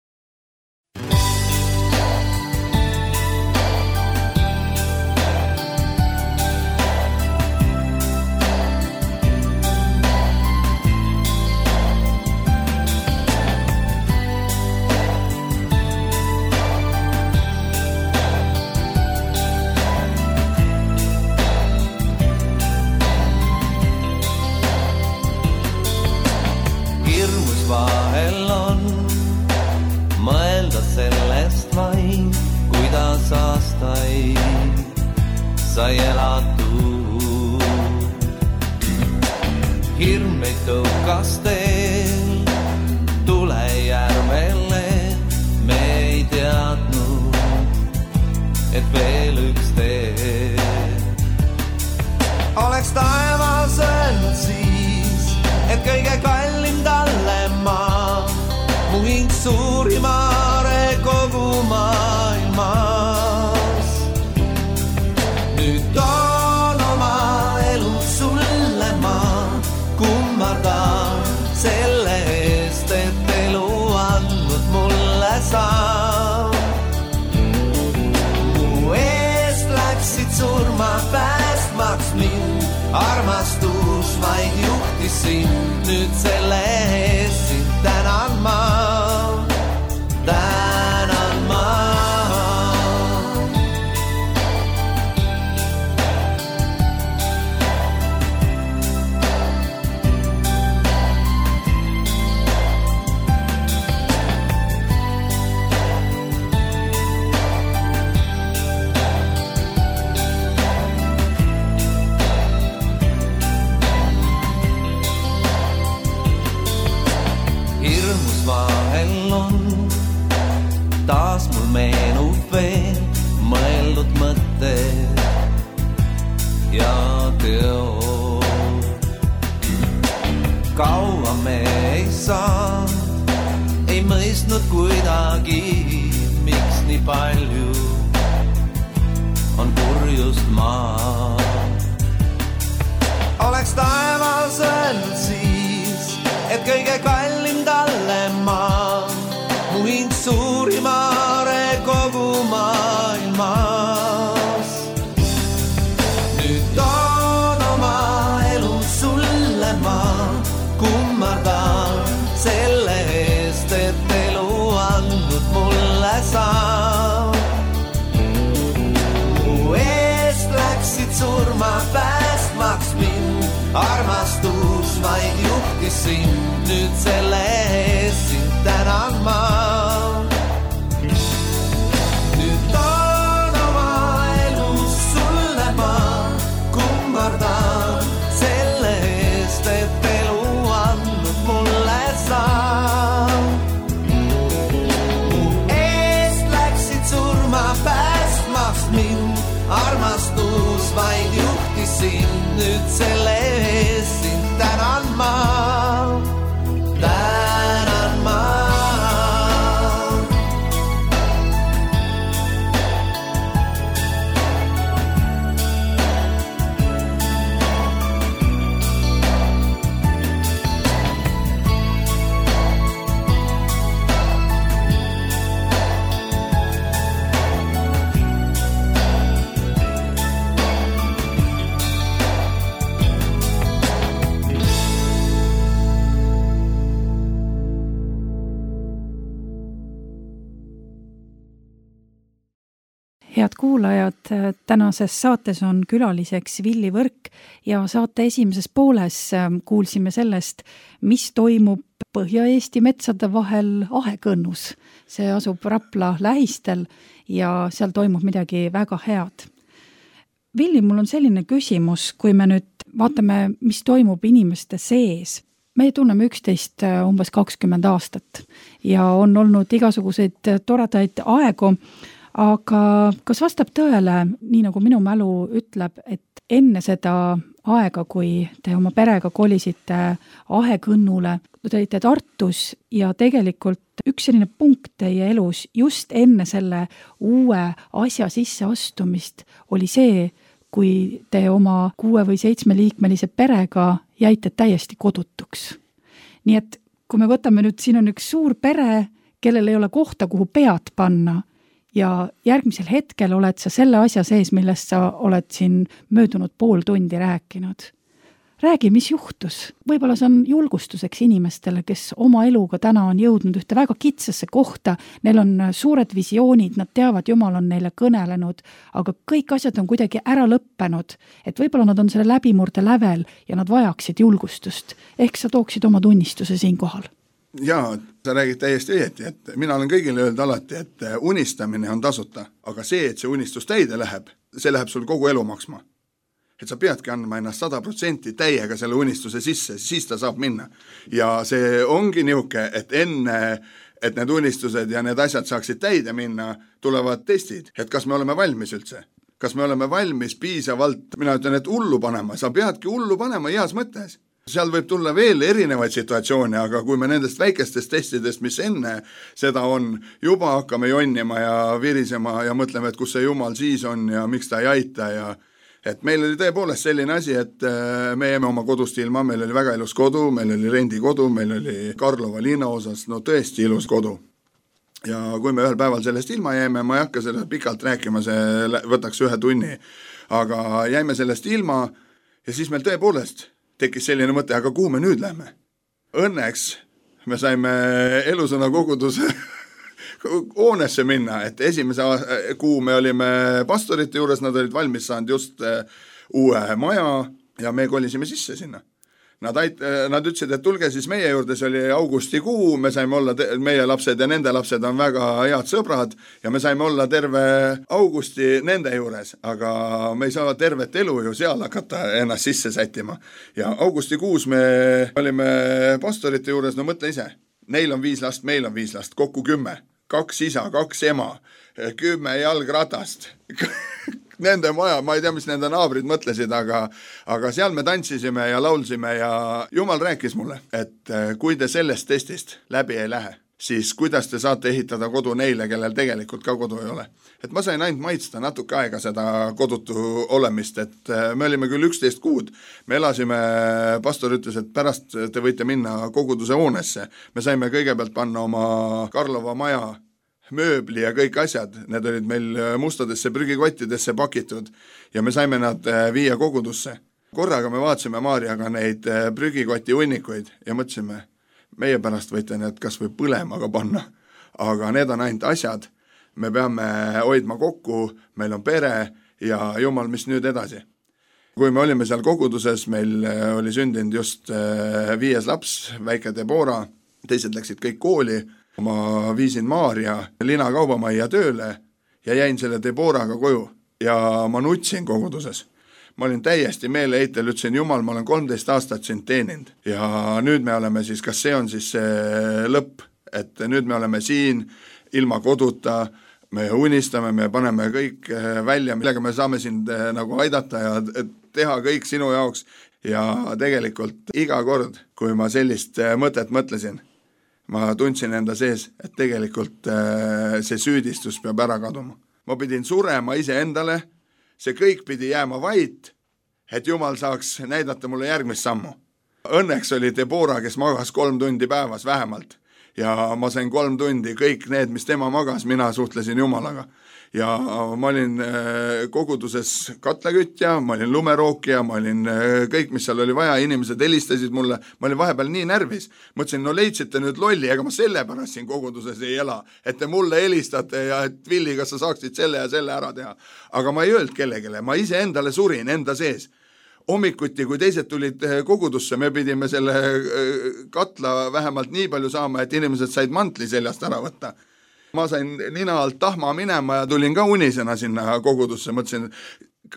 Sai elatud. Hirm ei tõukas teel, tule järvele, me ei teadnud, et veel üks tee. Oleks taevas öelnud siis, et kõige kallim talle maa, mu hing suurimare kogu maailmas. Nüüd toon oma elu sulle ma kummardan selle eest, et elu andnud mulle saa. Mu eest läksid surma päästmaks mind, armastus vaid juhtis sind, nüüd selle eest sind tänan ma. Taas mul meenub veel mõeldud mõtted ja teo saad, ei mõistnud kuidagi, miks nii palju on kurjust maa. Oleks taevas öelnud siis, et kõige kallim talle maa, mu hing suurimaare kogu maailmas. Nüüd toon oma elu sulle ma, kummardan selle eest, et elu andnud mulle saab. Mu eest läksid surma päästmaks mind, armastus vaid juhtis sind, nüüd selle eest sind tänan ma. Nüüd toon oma elu sulle ma, kummardan selle eest, et elu andnud mulle saab. Mu eest läksid surma päästmaks mind, armastus vaid juhtis sind, nüüd selle eest sind tänan ma. Tänan ma. Head kuulajad, tänases saates on külaliseks Villi Võrk ja saate esimeses pooles kuulsime sellest, mis toimub Põhja-Eesti metsade vahel Ahekõnnus. See asub Rapla lähistel ja seal toimub midagi väga head. Villi, mul on selline küsimus, kui me nüüd vaatame, mis toimub inimeste sees. Me tunneme üksteist umbes 20 aastat ja on olnud igasuguseid toredaid aegu, aga kas vastab tõele, nii nagu minu mälu ütleb, et enne seda aega, kui te oma perega kolisite Ahekõnnule, te olite Tartus ja tegelikult üks selline punkt teie elus just enne selle uue asja sisse astumist oli see, kui te oma 6 või 7 liikmelise perega jäite täiesti kodutuks. Nii et kui me võtame nüüd, siin on üks suur pere, kellel ei ole kohta, kuhu pead panna, ja järgmisel hetkel oled sa selle asja sees, millest sa oled siin möödunud pool tundi rääkinud. Räägi, mis juhtus? Võib-olla see on julgustuseks inimestele, kes oma eluga täna on jõudnud ühte väga kitsasse kohta, neil on suured visioonid, nad teavad, Jumal on neile kõnelenud, aga kõik asjad on kuidagi ära lõppenud, et võib-olla nad on selle läbimurde lävel ja nad vajaksid julgustust. Ehk sa tooksid oma tunnistuse siin kohal. Jaa, sa räägid täiesti õieti, et mina olen kõigile öelnud alati, et unistamine on tasuta, aga see, et see unistus täide läheb, see läheb sul kogu elu maksma. Et sa peadki andma ennast 100% täiega selle unistuse sisse, siis ta saab minna. Ja see ongi niuke, et enne, et need unistused ja need asjad saaksid täide minna, tulevad testid, et kas me oleme valmis üldse. Kas me oleme valmis piisavalt, mina ütlen, et hullu panema, sa peadki hullu panema heas mõttes. Seal võib tulla veel erinevaid situatsioone, aga kui me nendest väikestest testidest, mis enne seda on, juba hakkame jonnima ja virisema ja mõtleme, et kus see Jumal siis on ja miks ta ei aita ja et meil oli tõepoolest selline asi, et me jäime oma kodust ilma, meil oli väga ilus kodu, meil oli rendikodu, meil oli Karlova linna osas, no tõesti ilus kodu. Ja kui me ühel päeval sellest ilma jäime, ma ei hakka sellest pikalt rääkima, see võtaks 1 tunni, aga jäime sellest ilma ja siis meil tõepoolest tekkis selline mõte, aga kuhu me nüüd lähme? Õnneks me saime Elusõna koguduse hoonesse minna, et esimese kuu me olime pastorite juures, nad olid valmis saanud just uue maja ja me kolisime sisse sinna. Nad ütlesid, et tulge siis meie juurde, see oli augustikuu, me saime olla, meie lapsed ja nende lapsed on väga head sõbrad ja me saime olla terve augusti nende juures, aga me ei saa tervet elu ju seal hakata ennast sisse sättima. Ja augustikuus me olime pastorite juures, no mõtle ise, neil on 5 last, meil on 5 last, kokku 10, 2 isa, 2 ema, 10 jalgratast, nende maja, ma ei tea, mis nende naabrid mõtlesid, aga seal me tantsisime ja laulsime ja Jumal rääkis mulle, et kui te sellest testist läbi ei lähe, siis kuidas te saate ehitada kodu neile, kellel tegelikult ka kodu ei ole. Et ma sain ainult maitsta natuke aega seda kodutu olemist, et me olime küll 11 kuud, me elasime, pastor ütles, et pärast te võite minna koguduse hoonesse. Me saime kõigepealt panna oma Karlova maja mööbli ja kõik asjad, need olid meil mustadesse prügikottidesse pakitud ja me saime nad viia kogudusse. Korraga me vaatasime Maarjaga neid prügikoti hunnikuid ja mõtlesime, meie pärast võite need kas või põlemaga panna, aga need on ainult asjad, me peame hoidma kokku, meil on pere ja Jumal, mis nüüd edasi. Kui me olime seal koguduses, meil oli sündinud just 5 laps, väike Debora, teised läksid kõik kooli, ma viisin Maarja Lina kaubamajja tööle ja jäin selle Deboraga koju ja ma nutsin koguduses. Ma olin täiesti meeleheitel, ütlesin, Jumal, ma olen 13 aastat sind teeninud ja nüüd me oleme siis, kas see on siis see lõpp, et nüüd me oleme siin ilma koduta, me unistame, me paneme kõik välja, millega me saame sind nagu aidata ja teha kõik sinu jaoks ja tegelikult iga kord, kui ma sellist mõtet mõtlesin, ma tundsin enda sees, et tegelikult see süüdistus peab ära kaduma. Ma pidin surema ise endale, see kõik pidi jääma vait, et Jumal saaks näidata mulle järgmist sammu. Õnneks oli Debora, kes magas 3 tundi päevas vähemalt ja ma sain 3 tundi, kõik need, mis tema magas, mina suhtlesin Jumalaga. Ja ma olin koguduses katlakütja, ma olin lumerookija, ma olin kõik, mis seal oli vaja, inimesed helistasid mulle, ma olin vahepeal nii närvis. Mõtlesin, no leidsite nüüd lolli, ega ma selle pärast siin koguduses ei ela, et te mulle helistate ja et Villi, kas sa saaksid selle ja selle ära teha. Aga ma ei öelnud kellegile, ma ise endale surin enda sees. Hommikuti, kui teised tulid kogudusse, me pidime selle katla vähemalt nii palju saama, et inimesed said mantli seljast ära võtta. Ma sain nina alt tahma minema ja tulin ka unisena sinna kogudusse. Mõtlesin,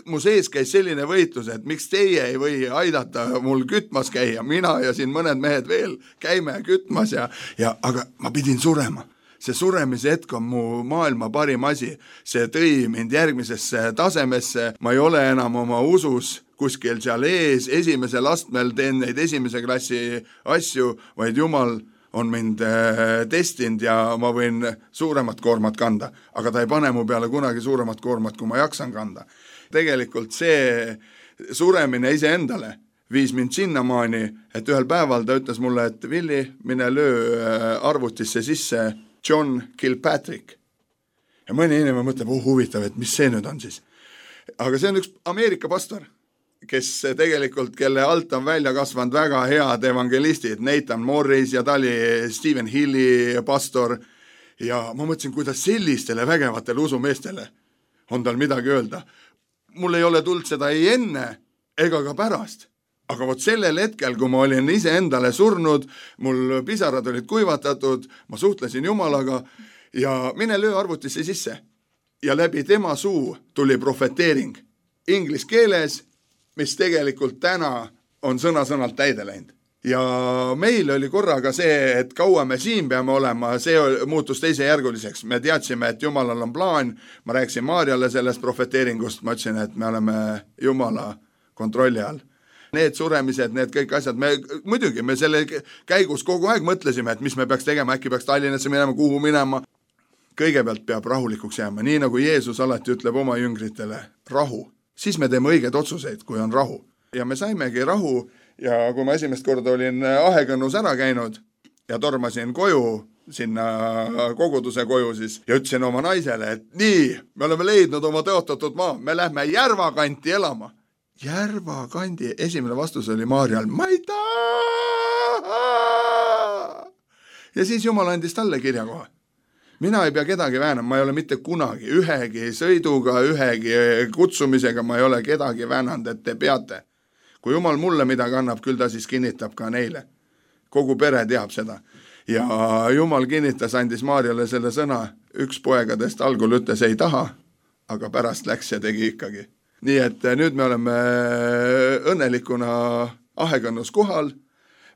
mu sees käis selline võitlus, et miks teie ei või aidata mul kütmas käia. Mina ja siin mõned mehed veel käime kütmas aga ma pidin surema. See suremise hetk on mu maailma parim asi. See tõi mind järgmisesse tasemesse. Ma ei ole enam oma usus kuskil seal ees, esimesel astmel teen neid esimese klassi asju, vaid Jumal on mind testinud ja ma võin suuremat koormat kanda, aga ta ei pane mu peale kunagi suuremat koormat, kui ma jaksan kanda. Tegelikult see suremine ise endale viis mind sinnamaani, et ühel päeval ta ütles mulle, et Villi, mine löö arvutisse sisse John Kilpatrick. Ja mõni inimene mõtleb, huvitav, et mis see nüüd on siis. Aga see on üks Ameerika pastor, kes tegelikult, kelle alt on välja kasvanud väga head evangelistid, Nathan Morris ja ta oli Stephen Hilli pastor ja ma mõtlesin, kuidas sellistele vägevatele usumeestele on tal midagi öelda. Mul ei ole tulnud seda ei enne ega ka pärast, aga vot sellel hetkel, kui ma olin ise endale surnud, mul pisarad olid kuivatatud, ma suhtlesin Jumalaga ja mine löö arvutisse sisse ja läbi tema suu tuli profeteering inglis keeles, mis tegelikult täna on sõna-sõnalt täide läinud. Ja meil oli korraga see, et kaua me siin peame olema, see muutus teisejärguliseks. Me teadsime, et Jumalal on plaan, ma rääkisin Maarjale sellest profeteeringust, ma ütlesin, et me oleme Jumala kontrolli all. Need suremised, need kõik asjad, muidugi me selle käigus kogu aeg mõtlesime, et mis me peaks tegema, äkki peaks Tallinnasse minema, kuhu minema. Kõigepealt peab rahulikuks jääma, nii nagu Jeesus alati ütleb oma jüngritele, rahu. Siis me teeme õiged otsuseid, kui on rahu. Ja me saimegi rahu ja kui ma esimest korda olin Ahekõnnus ära käinud ja tormasin koju, sinna koguduse koju siis, ja ütlesin oma naisele, et nii, me oleme leidnud oma tõotatud maa, me lähme Järvakanti elama. Järvakandi, esimene vastus oli Maarjal, ma ei taha! Ja siis Jumal andis talle kirjakoha. Mina ei pea kedagi väänama, ma ei ole mitte kunagi, ühegi sõiduga, ühegi kutsumisega, ma ei ole kedagi väänanud, et te peate. Kui Jumal mulle midagi annab, küll ta siis kinnitab ka neile. Kogu pere teab seda. Ja Jumal kinnitas, andis Maarjale selle sõna, üks poegadest algul ütles ei taha, aga pärast läks ja tegi ikkagi. Nii et nüüd me oleme õnnelikuna Ahekõnnus kohal,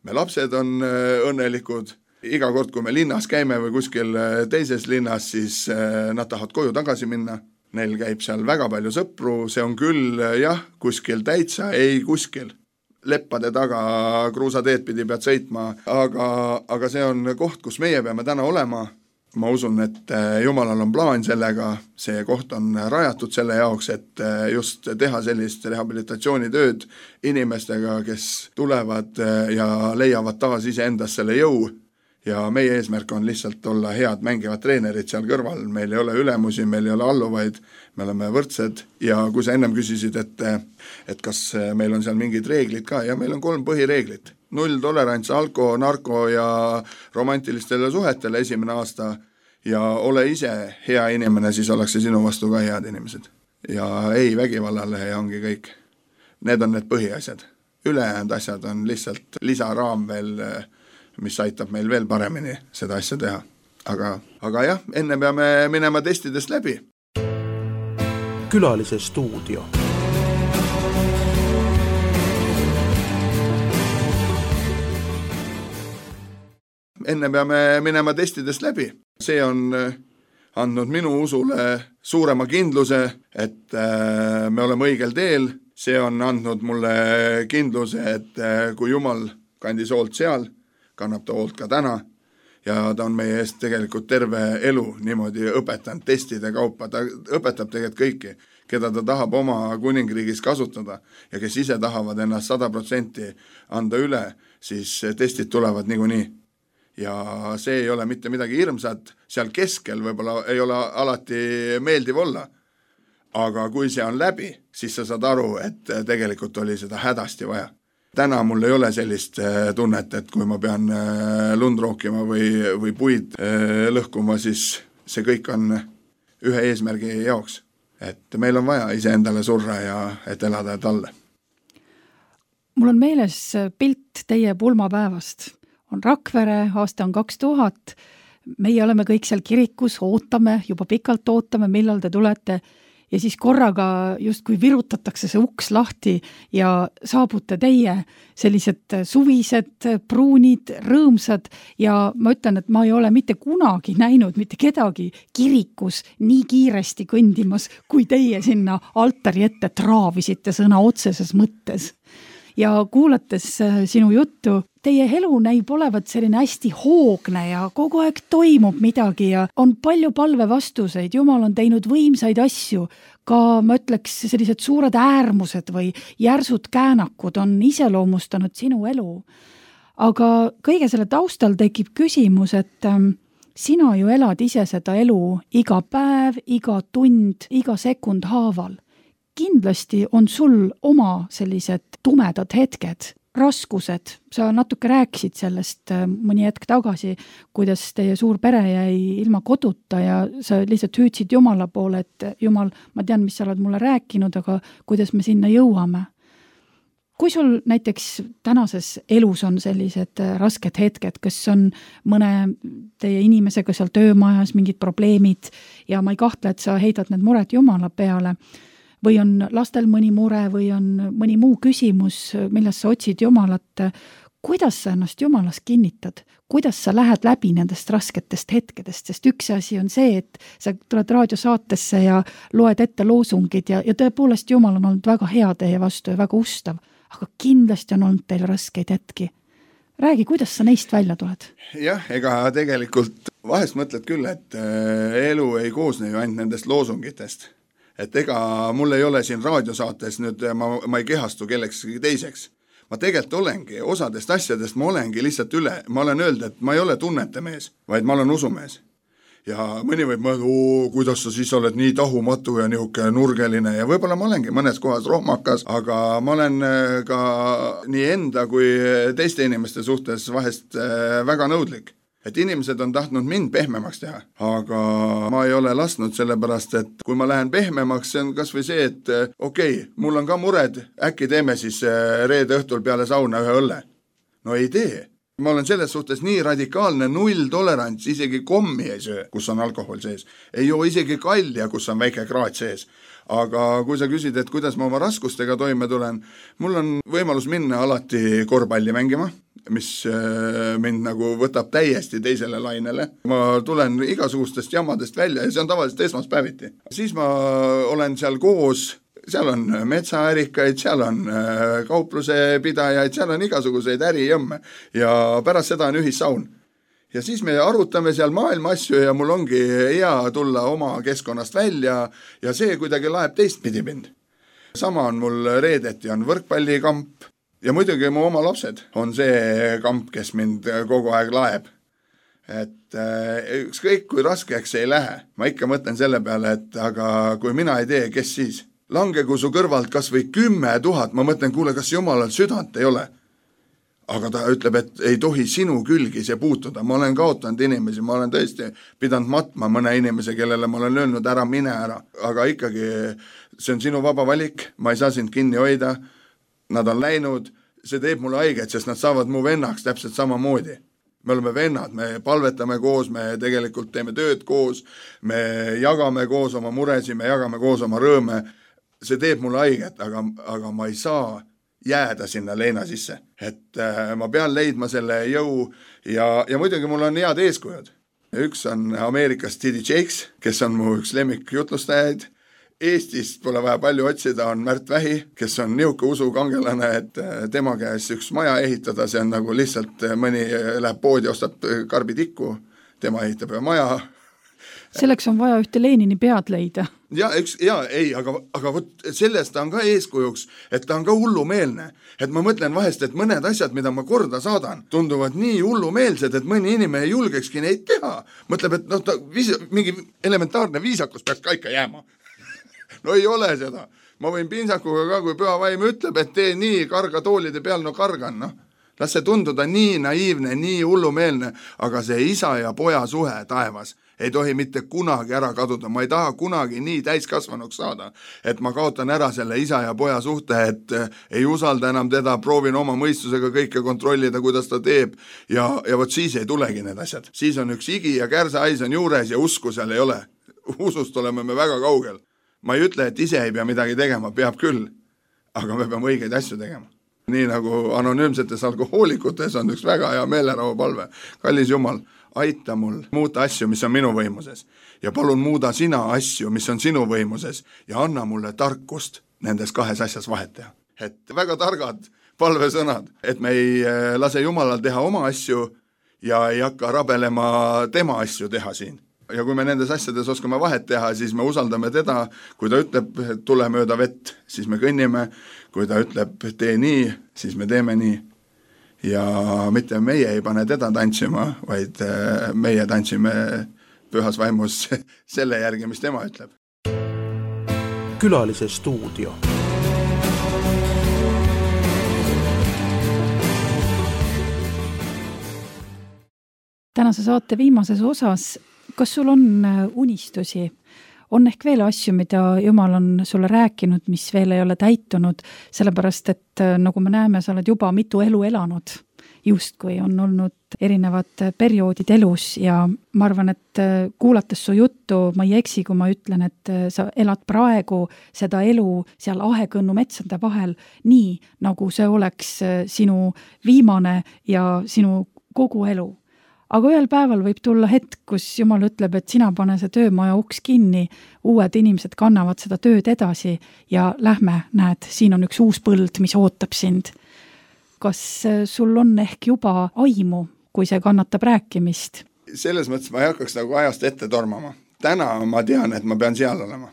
me lapsed on õnnelikud. Iga kord, kui me linnas käime või kuskil teises linnas, siis nad tahavad koju tagasi minna. neil käib seal väga palju sõpru, see on küll jah, kuskil täitsa, ei kuskil. Leppade taga kruusateed pidi pead sõitma, aga see on koht, kus meie peame täna olema. Ma usun, et Jumalal on plaan sellega, see koht on rajatud selle jaoks, et just teha sellist rehabilitatsioonitööd inimestega, kes tulevad ja leiavad taas iseendas selle jõu. Ja meie eesmärk on lihtsalt olla head mängivad treenerid seal kõrval, meil ei ole ülemusi, meil ei ole alluvaid, me oleme võrdsed ja kui sa ennem küsisid, et kas meil on seal mingid reeglid ka, ja meil on 3 põhireeglit. 0 tolerants alko, narko ja romantilistele suhetele esimene aasta ja ole ise hea inimene, siis ollakse sinu vastu ka head inimesed. Ja ei vägivallale ja ongi kõik. Need on need põhiasjad. Ülejäänud asjad on lihtsalt lisaraam veel, mis aitab meil veel paremini seda asja teha. Aga jah, enne peame minema testidest läbi. Külalise stuudio. Enne peame minema testidest läbi. See on andnud minu usule suurema kindluse, et me oleme õigel teel. See on andnud mulle kindluse, et kui Jumal kandis hoolt seal, kannab ta hoolt ka täna ja ta on meie eest tegelikult terve elu niimoodi õpetanud testide kaupa. Ta õpetab tegelikult kõiki, keda ta tahab oma kuningriigis kasutada ja kes ise tahavad ennast 100% anda üle, siis testid tulevad niikuinii. Ja see ei ole mitte midagi hirmsat, seal keskel võib-olla ei ole alati meeldiv olla. Aga kui see on läbi, siis sa saad aru, et tegelikult oli seda hädasti vaja. Täna mul ei ole sellist tunnet, et kui ma pean lund rookima või puid lõhkuma, siis see kõik on ühe eesmärgi jaoks. Et meil on vaja iseendale surra ja et elada talle. Mul on meeles pilt teie pulmapäevast. On Rakvere, aasta on 2000, meie oleme kõik seal kirikus, ootame, juba pikalt ootame, millal te tulete ja siis korraga justkui virutatakse see uks lahti ja saabute teie sellised suvised, pruunid, rõõmsad ja ma ütlen, et ma ei ole mitte kunagi näinud mitte kedagi kirikus nii kiiresti kõndimas, kui teie sinna altari ette traavisite sõna otseses mõttes. Ja kuulates sinu juttu, teie elu näib olevat selline hästi hoogne ja kogu aeg toimub midagi ja on palju palve vastuseid. Jumal on teinud võimsaid asju, ka ma ütleks sellised suured äärmused või järsud käänakud on iseloomustanud sinu elu. Aga kõige selle taustal tekib küsimus, et sina ju elad ise seda elu iga päev, iga tund, iga sekund haaval. Kindlasti on sul oma sellised tumedad hetked, raskused. Sa natuke rääkisid sellest mõni hetk tagasi, kuidas teie suur pere jäi ilma koduta ja sa lihtsalt hüüdsid Jumala poole, et Jumal, ma tean, mis sa oled mulle rääkinud, aga kuidas me sinna jõuame. Kui sul näiteks tänases elus on sellised rasked hetked, kas on mõne teie inimesega seal töömajas mingid probleemid ja ma ei kahtle, et sa heidad need mured Jumala peale, või on lastel mõni mure või on mõni muu küsimus, milles sa otsid Jumalat, kuidas sa ennast Jumalas kinnitad? Kuidas sa lähed läbi nendest rasketest hetkedest? Sest üks asi on see, et sa tuled raadiosaatesse ja loed ette loosungid ja tõepoolest Jumal on olnud väga hea teie vastu ja väga ustav, aga kindlasti on olnud teil raskeid hetki. Räägi, kuidas sa neist välja tuled? Jah, ega tegelikult vahest mõtled küll, et elu ei koosne ju ainult nendest loosungitest. Et ega mul ei ole siin raadiosaates nüüd, ma ei kehastu kellekski teiseks. Ma tegelikult olengi, osadest asjadest ma olengi lihtsalt üle. Ma olen öelnud, et ma ei ole tunnete mees, vaid ma olen usumees. Ja mõni võib mõelda, kuidas sa siis oled nii tahumatu ja nihuke nurgeline ja võib-olla ma olengi mõnes kohas rohmakas, aga ma olen ka nii enda kui teiste inimeste suhtes vahest väga nõudlik. Et inimesed on tahtnud mind pehmemaks teha, aga ma ei ole lasknud sellepärast, et kui ma lähen pehmemaks, see on kas või see, et okei, mul on ka mured, äkki teeme siis reede õhtul peale sauna ühe õlle. No ei tee. Ma olen selles suhtes nii radikaalne 0 tolerants, isegi kommi ei söö, kus on alkohol sees. Ei joo isegi kalja, kus on väike kraat sees. Aga kui sa küsid, et kuidas ma oma raskustega toime tulen, mul on võimalus minna alati korvpalli mängima, mis mind nagu võtab täiesti teisele lainele. Ma tulen igasugustest jamadest välja ja see on tavaliselt esmaspäeviti. Siis ma olen seal koos, seal on metsaärikaid, seal on kaupluse pidajaid, seal on igasuguseid ärijõmme ja pärast seda on ühissaun. Ja siis me arutame seal maailma asju ja mul ongi hea tulla oma keskkonnast välja ja see kuidagi laeb teistpidi mind. Sama on mul reedeti, on võrkpallikamp ja muidugi mu oma lapsed on see kamp, kes mind kogu aeg laeb. Et ükskõik kui raskeks ei lähe, ma ikka mõtlen selle peale, et aga kui mina ei tee, kes siis? Langegu su kõrvalt kas või 10 000, ma mõtlen, kuule, kas jumalal südant ei ole? Aga ta ütleb, et ei tohi sinu külgi see puutuda. Ma olen kaotanud inimesi, ma olen tõesti pidanud matma mõne inimese, kellele ma olen öelnud ära, mine ära. Aga ikkagi see on sinu vaba valik, ma ei saa sind kinni hoida. Nad on läinud, see teeb mulle haiget, sest nad saavad mu vennaks täpselt samamoodi. Me oleme vennad, me palvetame koos, me tegelikult teeme tööd koos, me jagame koos oma muresi, me jagame koos oma rõõme. See teeb mulle haiget, aga ma ei saa jääda sinna leina sisse. Et ma pean leidma selle jõu ja muidugi mul on head eeskujud. Üks on Ameerikas T.D. Jakes, kes on mu üks lemmik jutlustajaid. Eestist pole vaja palju otsida, on Märt Vähi, kes on niuke usukangelane, et tema käes üks maja ehitada, see on nagu lihtsalt mõni läheb poodi, ostab karbitikku, tema ehitab maja. Selleks on vaja ühte Lenini pead leida. Aga võt, sellest ta on ka eeskujuks, et ta on ka hullumeelne. Et ma mõtlen vahest, et mõned asjad, mida ma korda saadan, tunduvad nii hullumeelsed, et mõni inimene ei julgekski neid teha. Mõtleb, et mingi elementaarne viisakus peaks ka ikka jääma. No ei ole seda. Ma võin pinsakuga ka, kui püha vaim ütleb, et tee nii, karga toolide peal, no kargan, noh. Las see tunduda nii naiivne, nii hullumeelne, aga see isa ja poja suhe taevas ei tohi mitte kunagi ära kaduda. Ma ei taha kunagi nii täiskasvanuks saada, et ma kaotan ära selle isa ja poja suhte, et ei usalda enam teda, proovin oma mõistusega kõike kontrollida, kuidas ta teeb ja vot siis ei tulegi need asjad. Siis on üks igi ja kärsahais on juures ja usku seal ei ole. Usust oleme me väga kaugel. Ma ei ütle, et ise ei pea midagi tegema, peab küll, aga me peame õigeid asju tegema. Nii nagu anonüümsetes alkohoolikutes on üks väga hea meelerahu palve. Kallis Jumal, aita mul muuta asju, mis on minu võimuses ja palun muuda sina asju, mis on sinu võimuses ja anna mulle tarkust nendes kahes asjas vahet teha. Et väga targad palvesõnad, et me ei lase Jumalal teha oma asju ja ei hakka rabelema tema asju teha siin. Ja kui me nendes asjades oskame vahet teha, siis me usaldame teda, kui ta ütleb, tule mööda vett, siis me kõnnime, kui ta ütleb, tee nii, siis me teeme nii. Ja mitte meie ei pane teda tantsima, vaid meie tantsime pühas vaimus selle järgi, mis tema ütleb. Külalise stuudio. Tänase saate viimases osas, kas sul on unistusi? On ehk veel asju, mida Jumal on sulle rääkinud, mis veel ei ole täitunud, sellepärast, et nagu me näeme, sa oled juba mitu elu elanud, justkui on olnud erinevad perioodid elus ja ma arvan, et kuulates su juttu, ma ei eksi, kui ma ütlen, et sa elad praegu seda elu seal Ahekõnnu metsade vahel nii, nagu see oleks sinu viimane ja sinu kogu elu. Aga ühel päeval võib tulla hetk, kus Jumal ütleb, et sina pane see töömaja uks kinni, uued inimesed kannavad seda tööd edasi ja lähme, näed, siin on üks uus põld, mis ootab sind. Kas sul on ehk juba aimu, kui see kannatab rääkimist? Selles mõttes ma ei hakkaks nagu ajast ette tormama. Täna ma tean, et ma pean seal olema.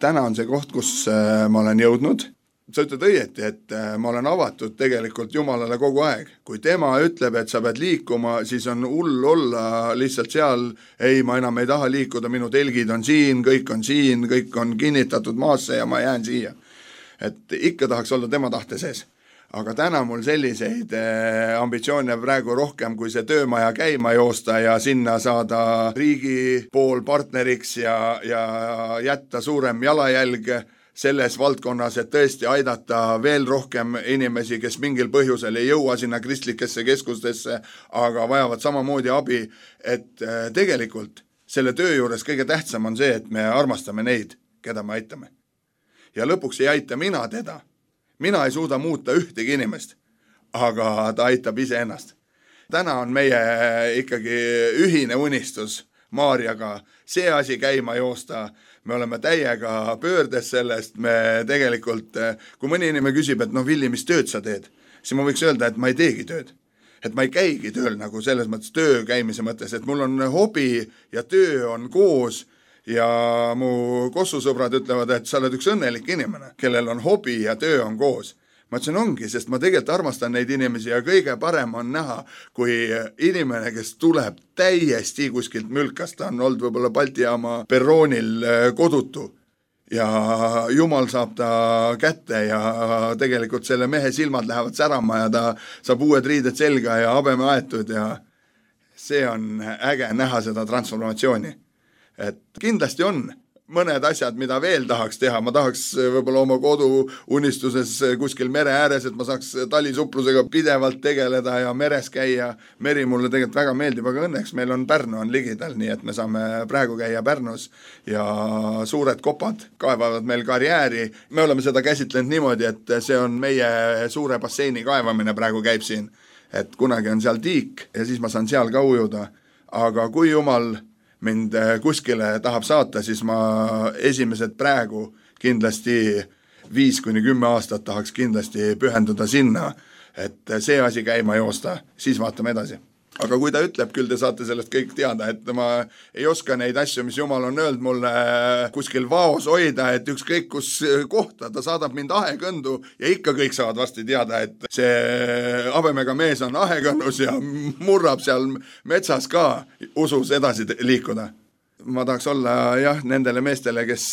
Täna on see koht, kus ma olen jõudnud. Sa ütled õieti, et ma olen avatud tegelikult Jumalale kogu aeg. Kui tema ütleb, et sa pead liikuma, siis on hull olla lihtsalt seal. Ei, ma enam ei taha liikuda, minu telgid on siin, kõik on kinnitatud maasse ja ma jään siia. Et ikka tahaks olla tema tahte sees. Aga täna mul selliseid ambitsioone praegu rohkem, kui see töömaja käima joosta ja sinna saada riigi pool partneriks ja jätta suurem jalajälg selles valdkonnas, et tõesti aidata veel rohkem inimesi, kes mingil põhjusel ei jõua sinna kristlikesse keskustesse, aga vajavad samamoodi abi, et tegelikult selle töö juures kõige tähtsam on see, et me armastame neid, keda me aitame. Ja lõpuks ei aita mina teda. Mina ei suuda muuta ühtegi inimest, aga ta aitab iseennast. Täna on meie ikkagi ühine unistus Maarjaga see asi käima joosta. Me oleme täiega pöördes sellest, me tegelikult, kui mõni inimene küsib, et Villi, mis tööd sa teed, siis ma võiks öelda, et ma ei teegi tööd. Et ma ei käigi tööl nagu selles mõttes töö käimise mõttes, et mul on hobi ja töö on koos ja mu kossusõbrad ütlevad, et sa oled üks õnnelik inimene, kellel on hobi ja töö on koos. Ma ütlesin, ongi, sest ma tegelikult armastan neid inimesi ja kõige parem on näha, kui inimene, kes tuleb täiesti kuskilt mülkast, ta on olnud võib-olla Balti jaama perroonil kodutu ja Jumal saab ta kätte ja tegelikult selle mehe silmad lähevad särama ja ta saab uued riided selga ja habeme aetud ja see on äge näha seda transformatsiooni. Et kindlasti on mõned asjad, mida veel tahaks teha. Ma tahaks võib-olla oma kodu unistuses kuskil mere ääres, et ma saaks talisupplusega pidevalt tegeleda ja meres käia. Meri mulle tegelikult väga meeldib, aga õnneks meil on Pärnu on ligidal, nii et me saame praegu käia Pärnus ja suured kopad kaevavad meil karjääri. Me oleme seda käsitlenud niimoodi, et see on meie suure basseini kaevamine praegu käib siin. Et kunagi on seal tiik ja siis ma saan seal ka ujuda. Aga kui Jumal mind kuskile tahab saata, siis ma esimesed praegu kindlasti 5-10 aastat tahaks kindlasti pühenduda sinna, et see asi käima joosta, siis vaatame edasi. Aga kui ta ütleb, küll te saate sellest kõik teada, et ma ei oska neid asju, mis Jumal on öelnud mulle kuskil vaos hoida, et ükskõik kus kohta, ta saadab mind ahekõndu ja ikka kõik saavad varsti teada, et see habemega mees on ahekõnnus ja murrab seal metsas ka usus edasi liikuda. Ma tahaks olla nendele meestele, kes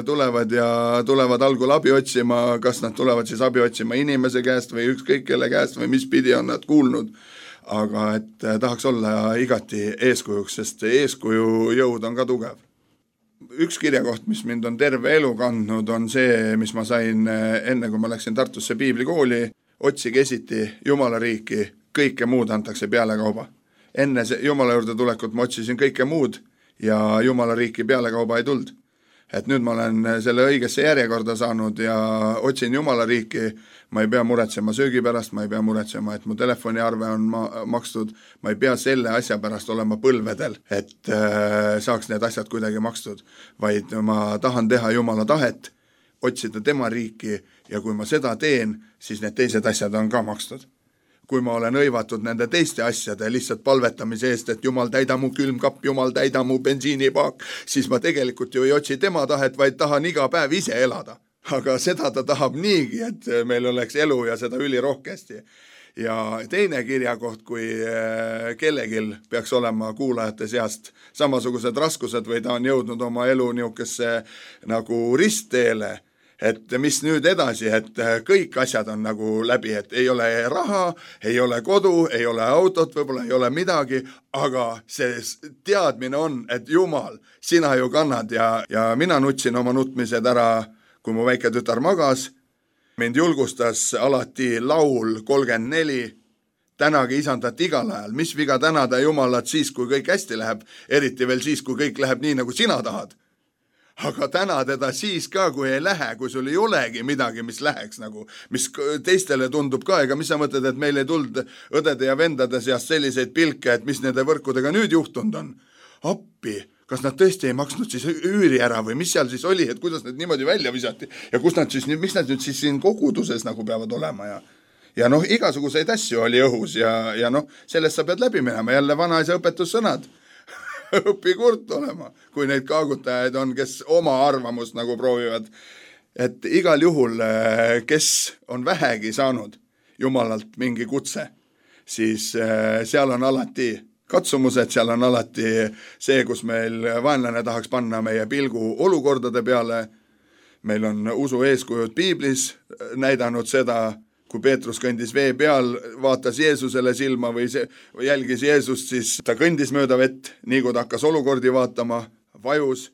tulevad ja tulevad algul abi otsima, kas nad tulevad siis abi otsima inimese käest või ükskõik kelle käest või mis pidi on nad kuulnud. Aga et tahaks olla igati eeskujuks, sest eeskuju jõud on ka tugev. Üks kirjakoht, mis mind on terve elu kandnud, on see, mis ma sain enne, kui ma läksin Tartusse piiblikooli. Otsige esiti Jumala riiki, kõike muud antakse peale kauba. Enne Jumala juurde tulekut ma otsisin kõike muud ja Jumala riiki peale kauba ei tuld. Et nüüd ma olen selle õigesse järjekorda saanud ja otsin Jumala riiki. Ma ei pea muretsema söögi pärast, ma ei pea muretsema, et mu telefoniarve on makstud, ma ei pea selle asja pärast olema põlvedel, et saaks need asjad kuidagi makstud, vaid ma tahan teha Jumala tahet, otsida tema riiki ja kui ma seda teen, siis need teised asjad on ka makstud. Kui ma olen õivatud nende teiste asjade lihtsalt palvetamise eest, et Jumal täida mu külmkapp, Jumal täida mu bensiinipaak, siis ma tegelikult ju ei otsi tema tahet, vaid tahan iga päev ise elada. Aga seda ta tahab niigi, et meil oleks elu ja seda ülirohkesti. Ja teine kirjakoht, kui kellegil peaks olema kuulajate seast samasugused raskused või ta on jõudnud oma elu niisugesse nagu ristteele, et mis nüüd edasi, et kõik asjad on nagu läbi, et ei ole raha, ei ole kodu, ei ole autot, võib-olla ei ole midagi, aga see teadmine on, et Jumal, sina ju kannad ja mina nutsin oma nutmised ära, kui mu väike tütar magas, mind julgustas alati laul 34, tänagi isandat igal ajal, mis viga tänada Jumalat siis, kui kõik hästi läheb, eriti veel siis, kui kõik läheb nii, nagu sina tahad. Aga täna teda siis ka, kui ei lähe, kui sul ei olegi midagi, mis läheks nagu, mis teistele tundub ka, ega mis sa mõtled, et meil ei tuld õdede ja vendade seast selliseid pilke, et mis nende võrkudega nüüd juhtunud on. Appi, kas nad tõesti ei maksnud siis üüri ära või mis seal siis oli, et kuidas need niimoodi välja visati ja kus nad siis, mis nad nüüd siis siin koguduses nagu peavad olema ja igasuguseid asju oli õhus ja sellest sa pead läbi minema, jälle vanaisa õpetussõnad. Õpi kurt olema, kui neid kaagutajaid on, kes oma arvamust nagu proovivad. Et igal juhul, kes on vähegi saanud Jumalalt mingi kutse, siis seal on alati katsumused, seal on alati see, kus meil vaenlane tahaks panna meie pilgu olukordade peale. Meil on usu eeskujud piiblis näidanud seda, kui Peetrus kõndis vee peal, vaatas Jeesusele silma või jälgis Jeesust, siis ta kõndis mööda vett, nii kui ta hakkas olukordi vaatama, vajus.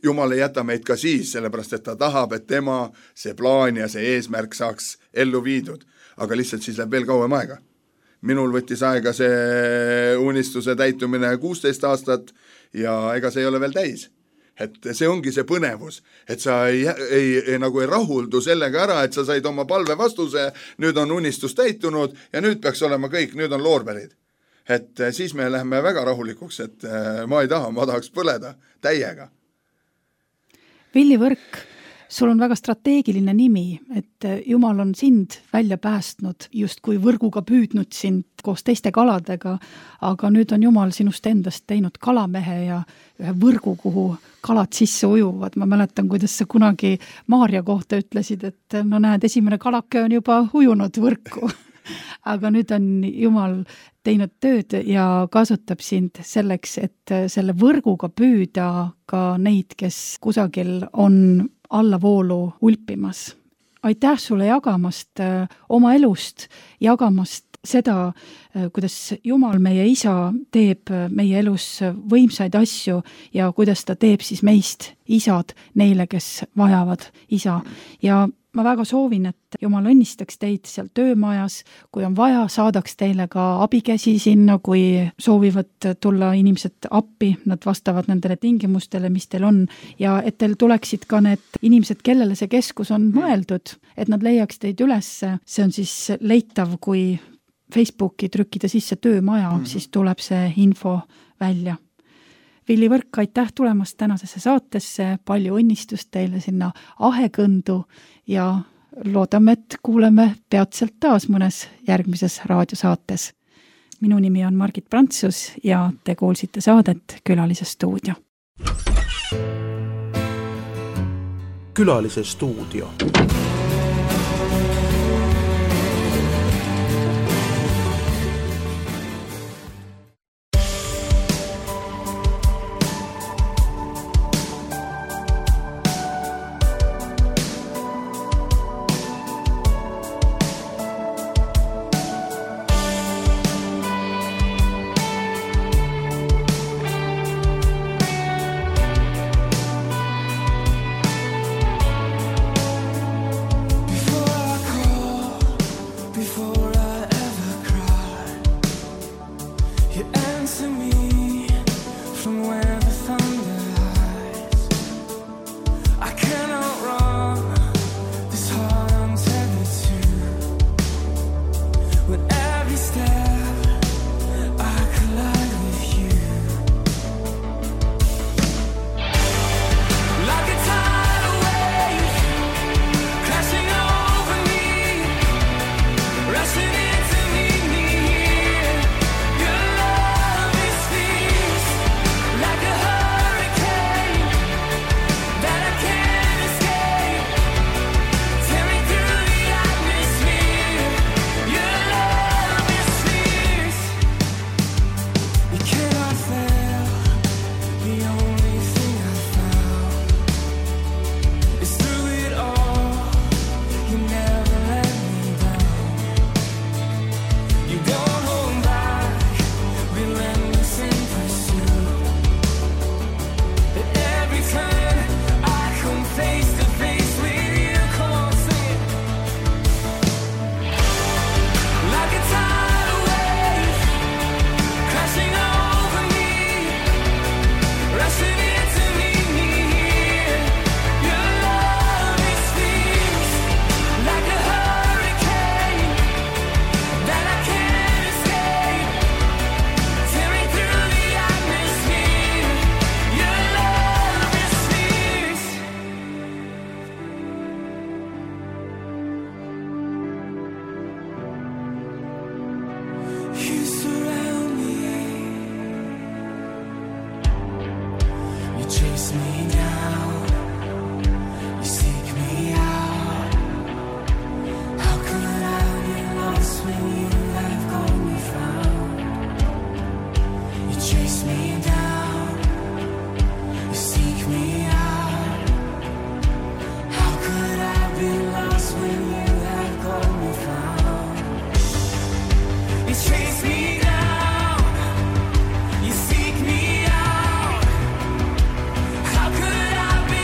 Jumal ei jäta meid ka siis, sellepärast et ta tahab, et tema see plaan ja see eesmärk saaks ellu viidud. Aga lihtsalt siis läheb veel kauem aega. Minul võttis aega see unistuse täitumine 16 aastat ja ega see ei ole veel täis. et see ongi see põnevus, et sa ei rahuldu sellega ära, et sa said oma palve vastuse, nüüd on unistus täitunud ja nüüd peaks olema kõik, nüüd on loorberid. Et siis me läheme väga rahulikuks, et ma ei taha, ma tahaks põleda täiega. Villi Võrk, sul on väga strateegiline nimi, et Jumal on sind välja päästnud, just kui võrguga püüdnud sind koos teiste kaladega, aga nüüd on Jumal sinust endast teinud kalamehe ja ühe võrgu, kuhu kalad sisse ujuvad. Ma mäletan, kuidas sa kunagi Maarja kohta ütlesid, et no näed, esimene kalake on juba ujunud võrku. Aga nüüd on Jumal teinud tööd ja kasutab sind selleks, et selle võrguga püüda ka neid, kes kusagil on allavoolu ulpimas. Aitäh sulle jagamast oma elust, jagamast seda, kuidas Jumal, meie isa, teeb meie elus võimsaid asju ja kuidas ta teeb siis meist isad neile, kes vajavad isa. Ja ma väga soovin, et Jumal õnnistaks teid seal töömajas, kui on vaja, saadaks teile ka abikäsi sinna, kui soovivad tulla inimesed appi, nad vastavad nendele tingimustele, mis teil on, ja et teil tuleksid ka need inimesed, kellele see keskus on mõeldud, et nad leiaks teid üles. See on siis leitav, kui Facebooki trükkida sisse töömaja, siis tuleb see info välja. Villi Võrk, aitäh tulemast tänasesse saatesse, palju õnnistust teile sinna Ahekõndu ja loodame, et kuuleme peatselt taas mõnes järgmises raadiosaates. Minu nimi on Margit Prantsus ja te kuulsite saadet Külalise stuudio. Külalise stuudio. How could I be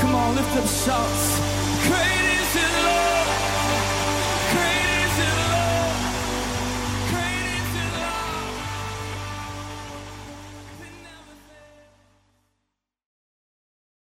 Come on, lift up shouts. Great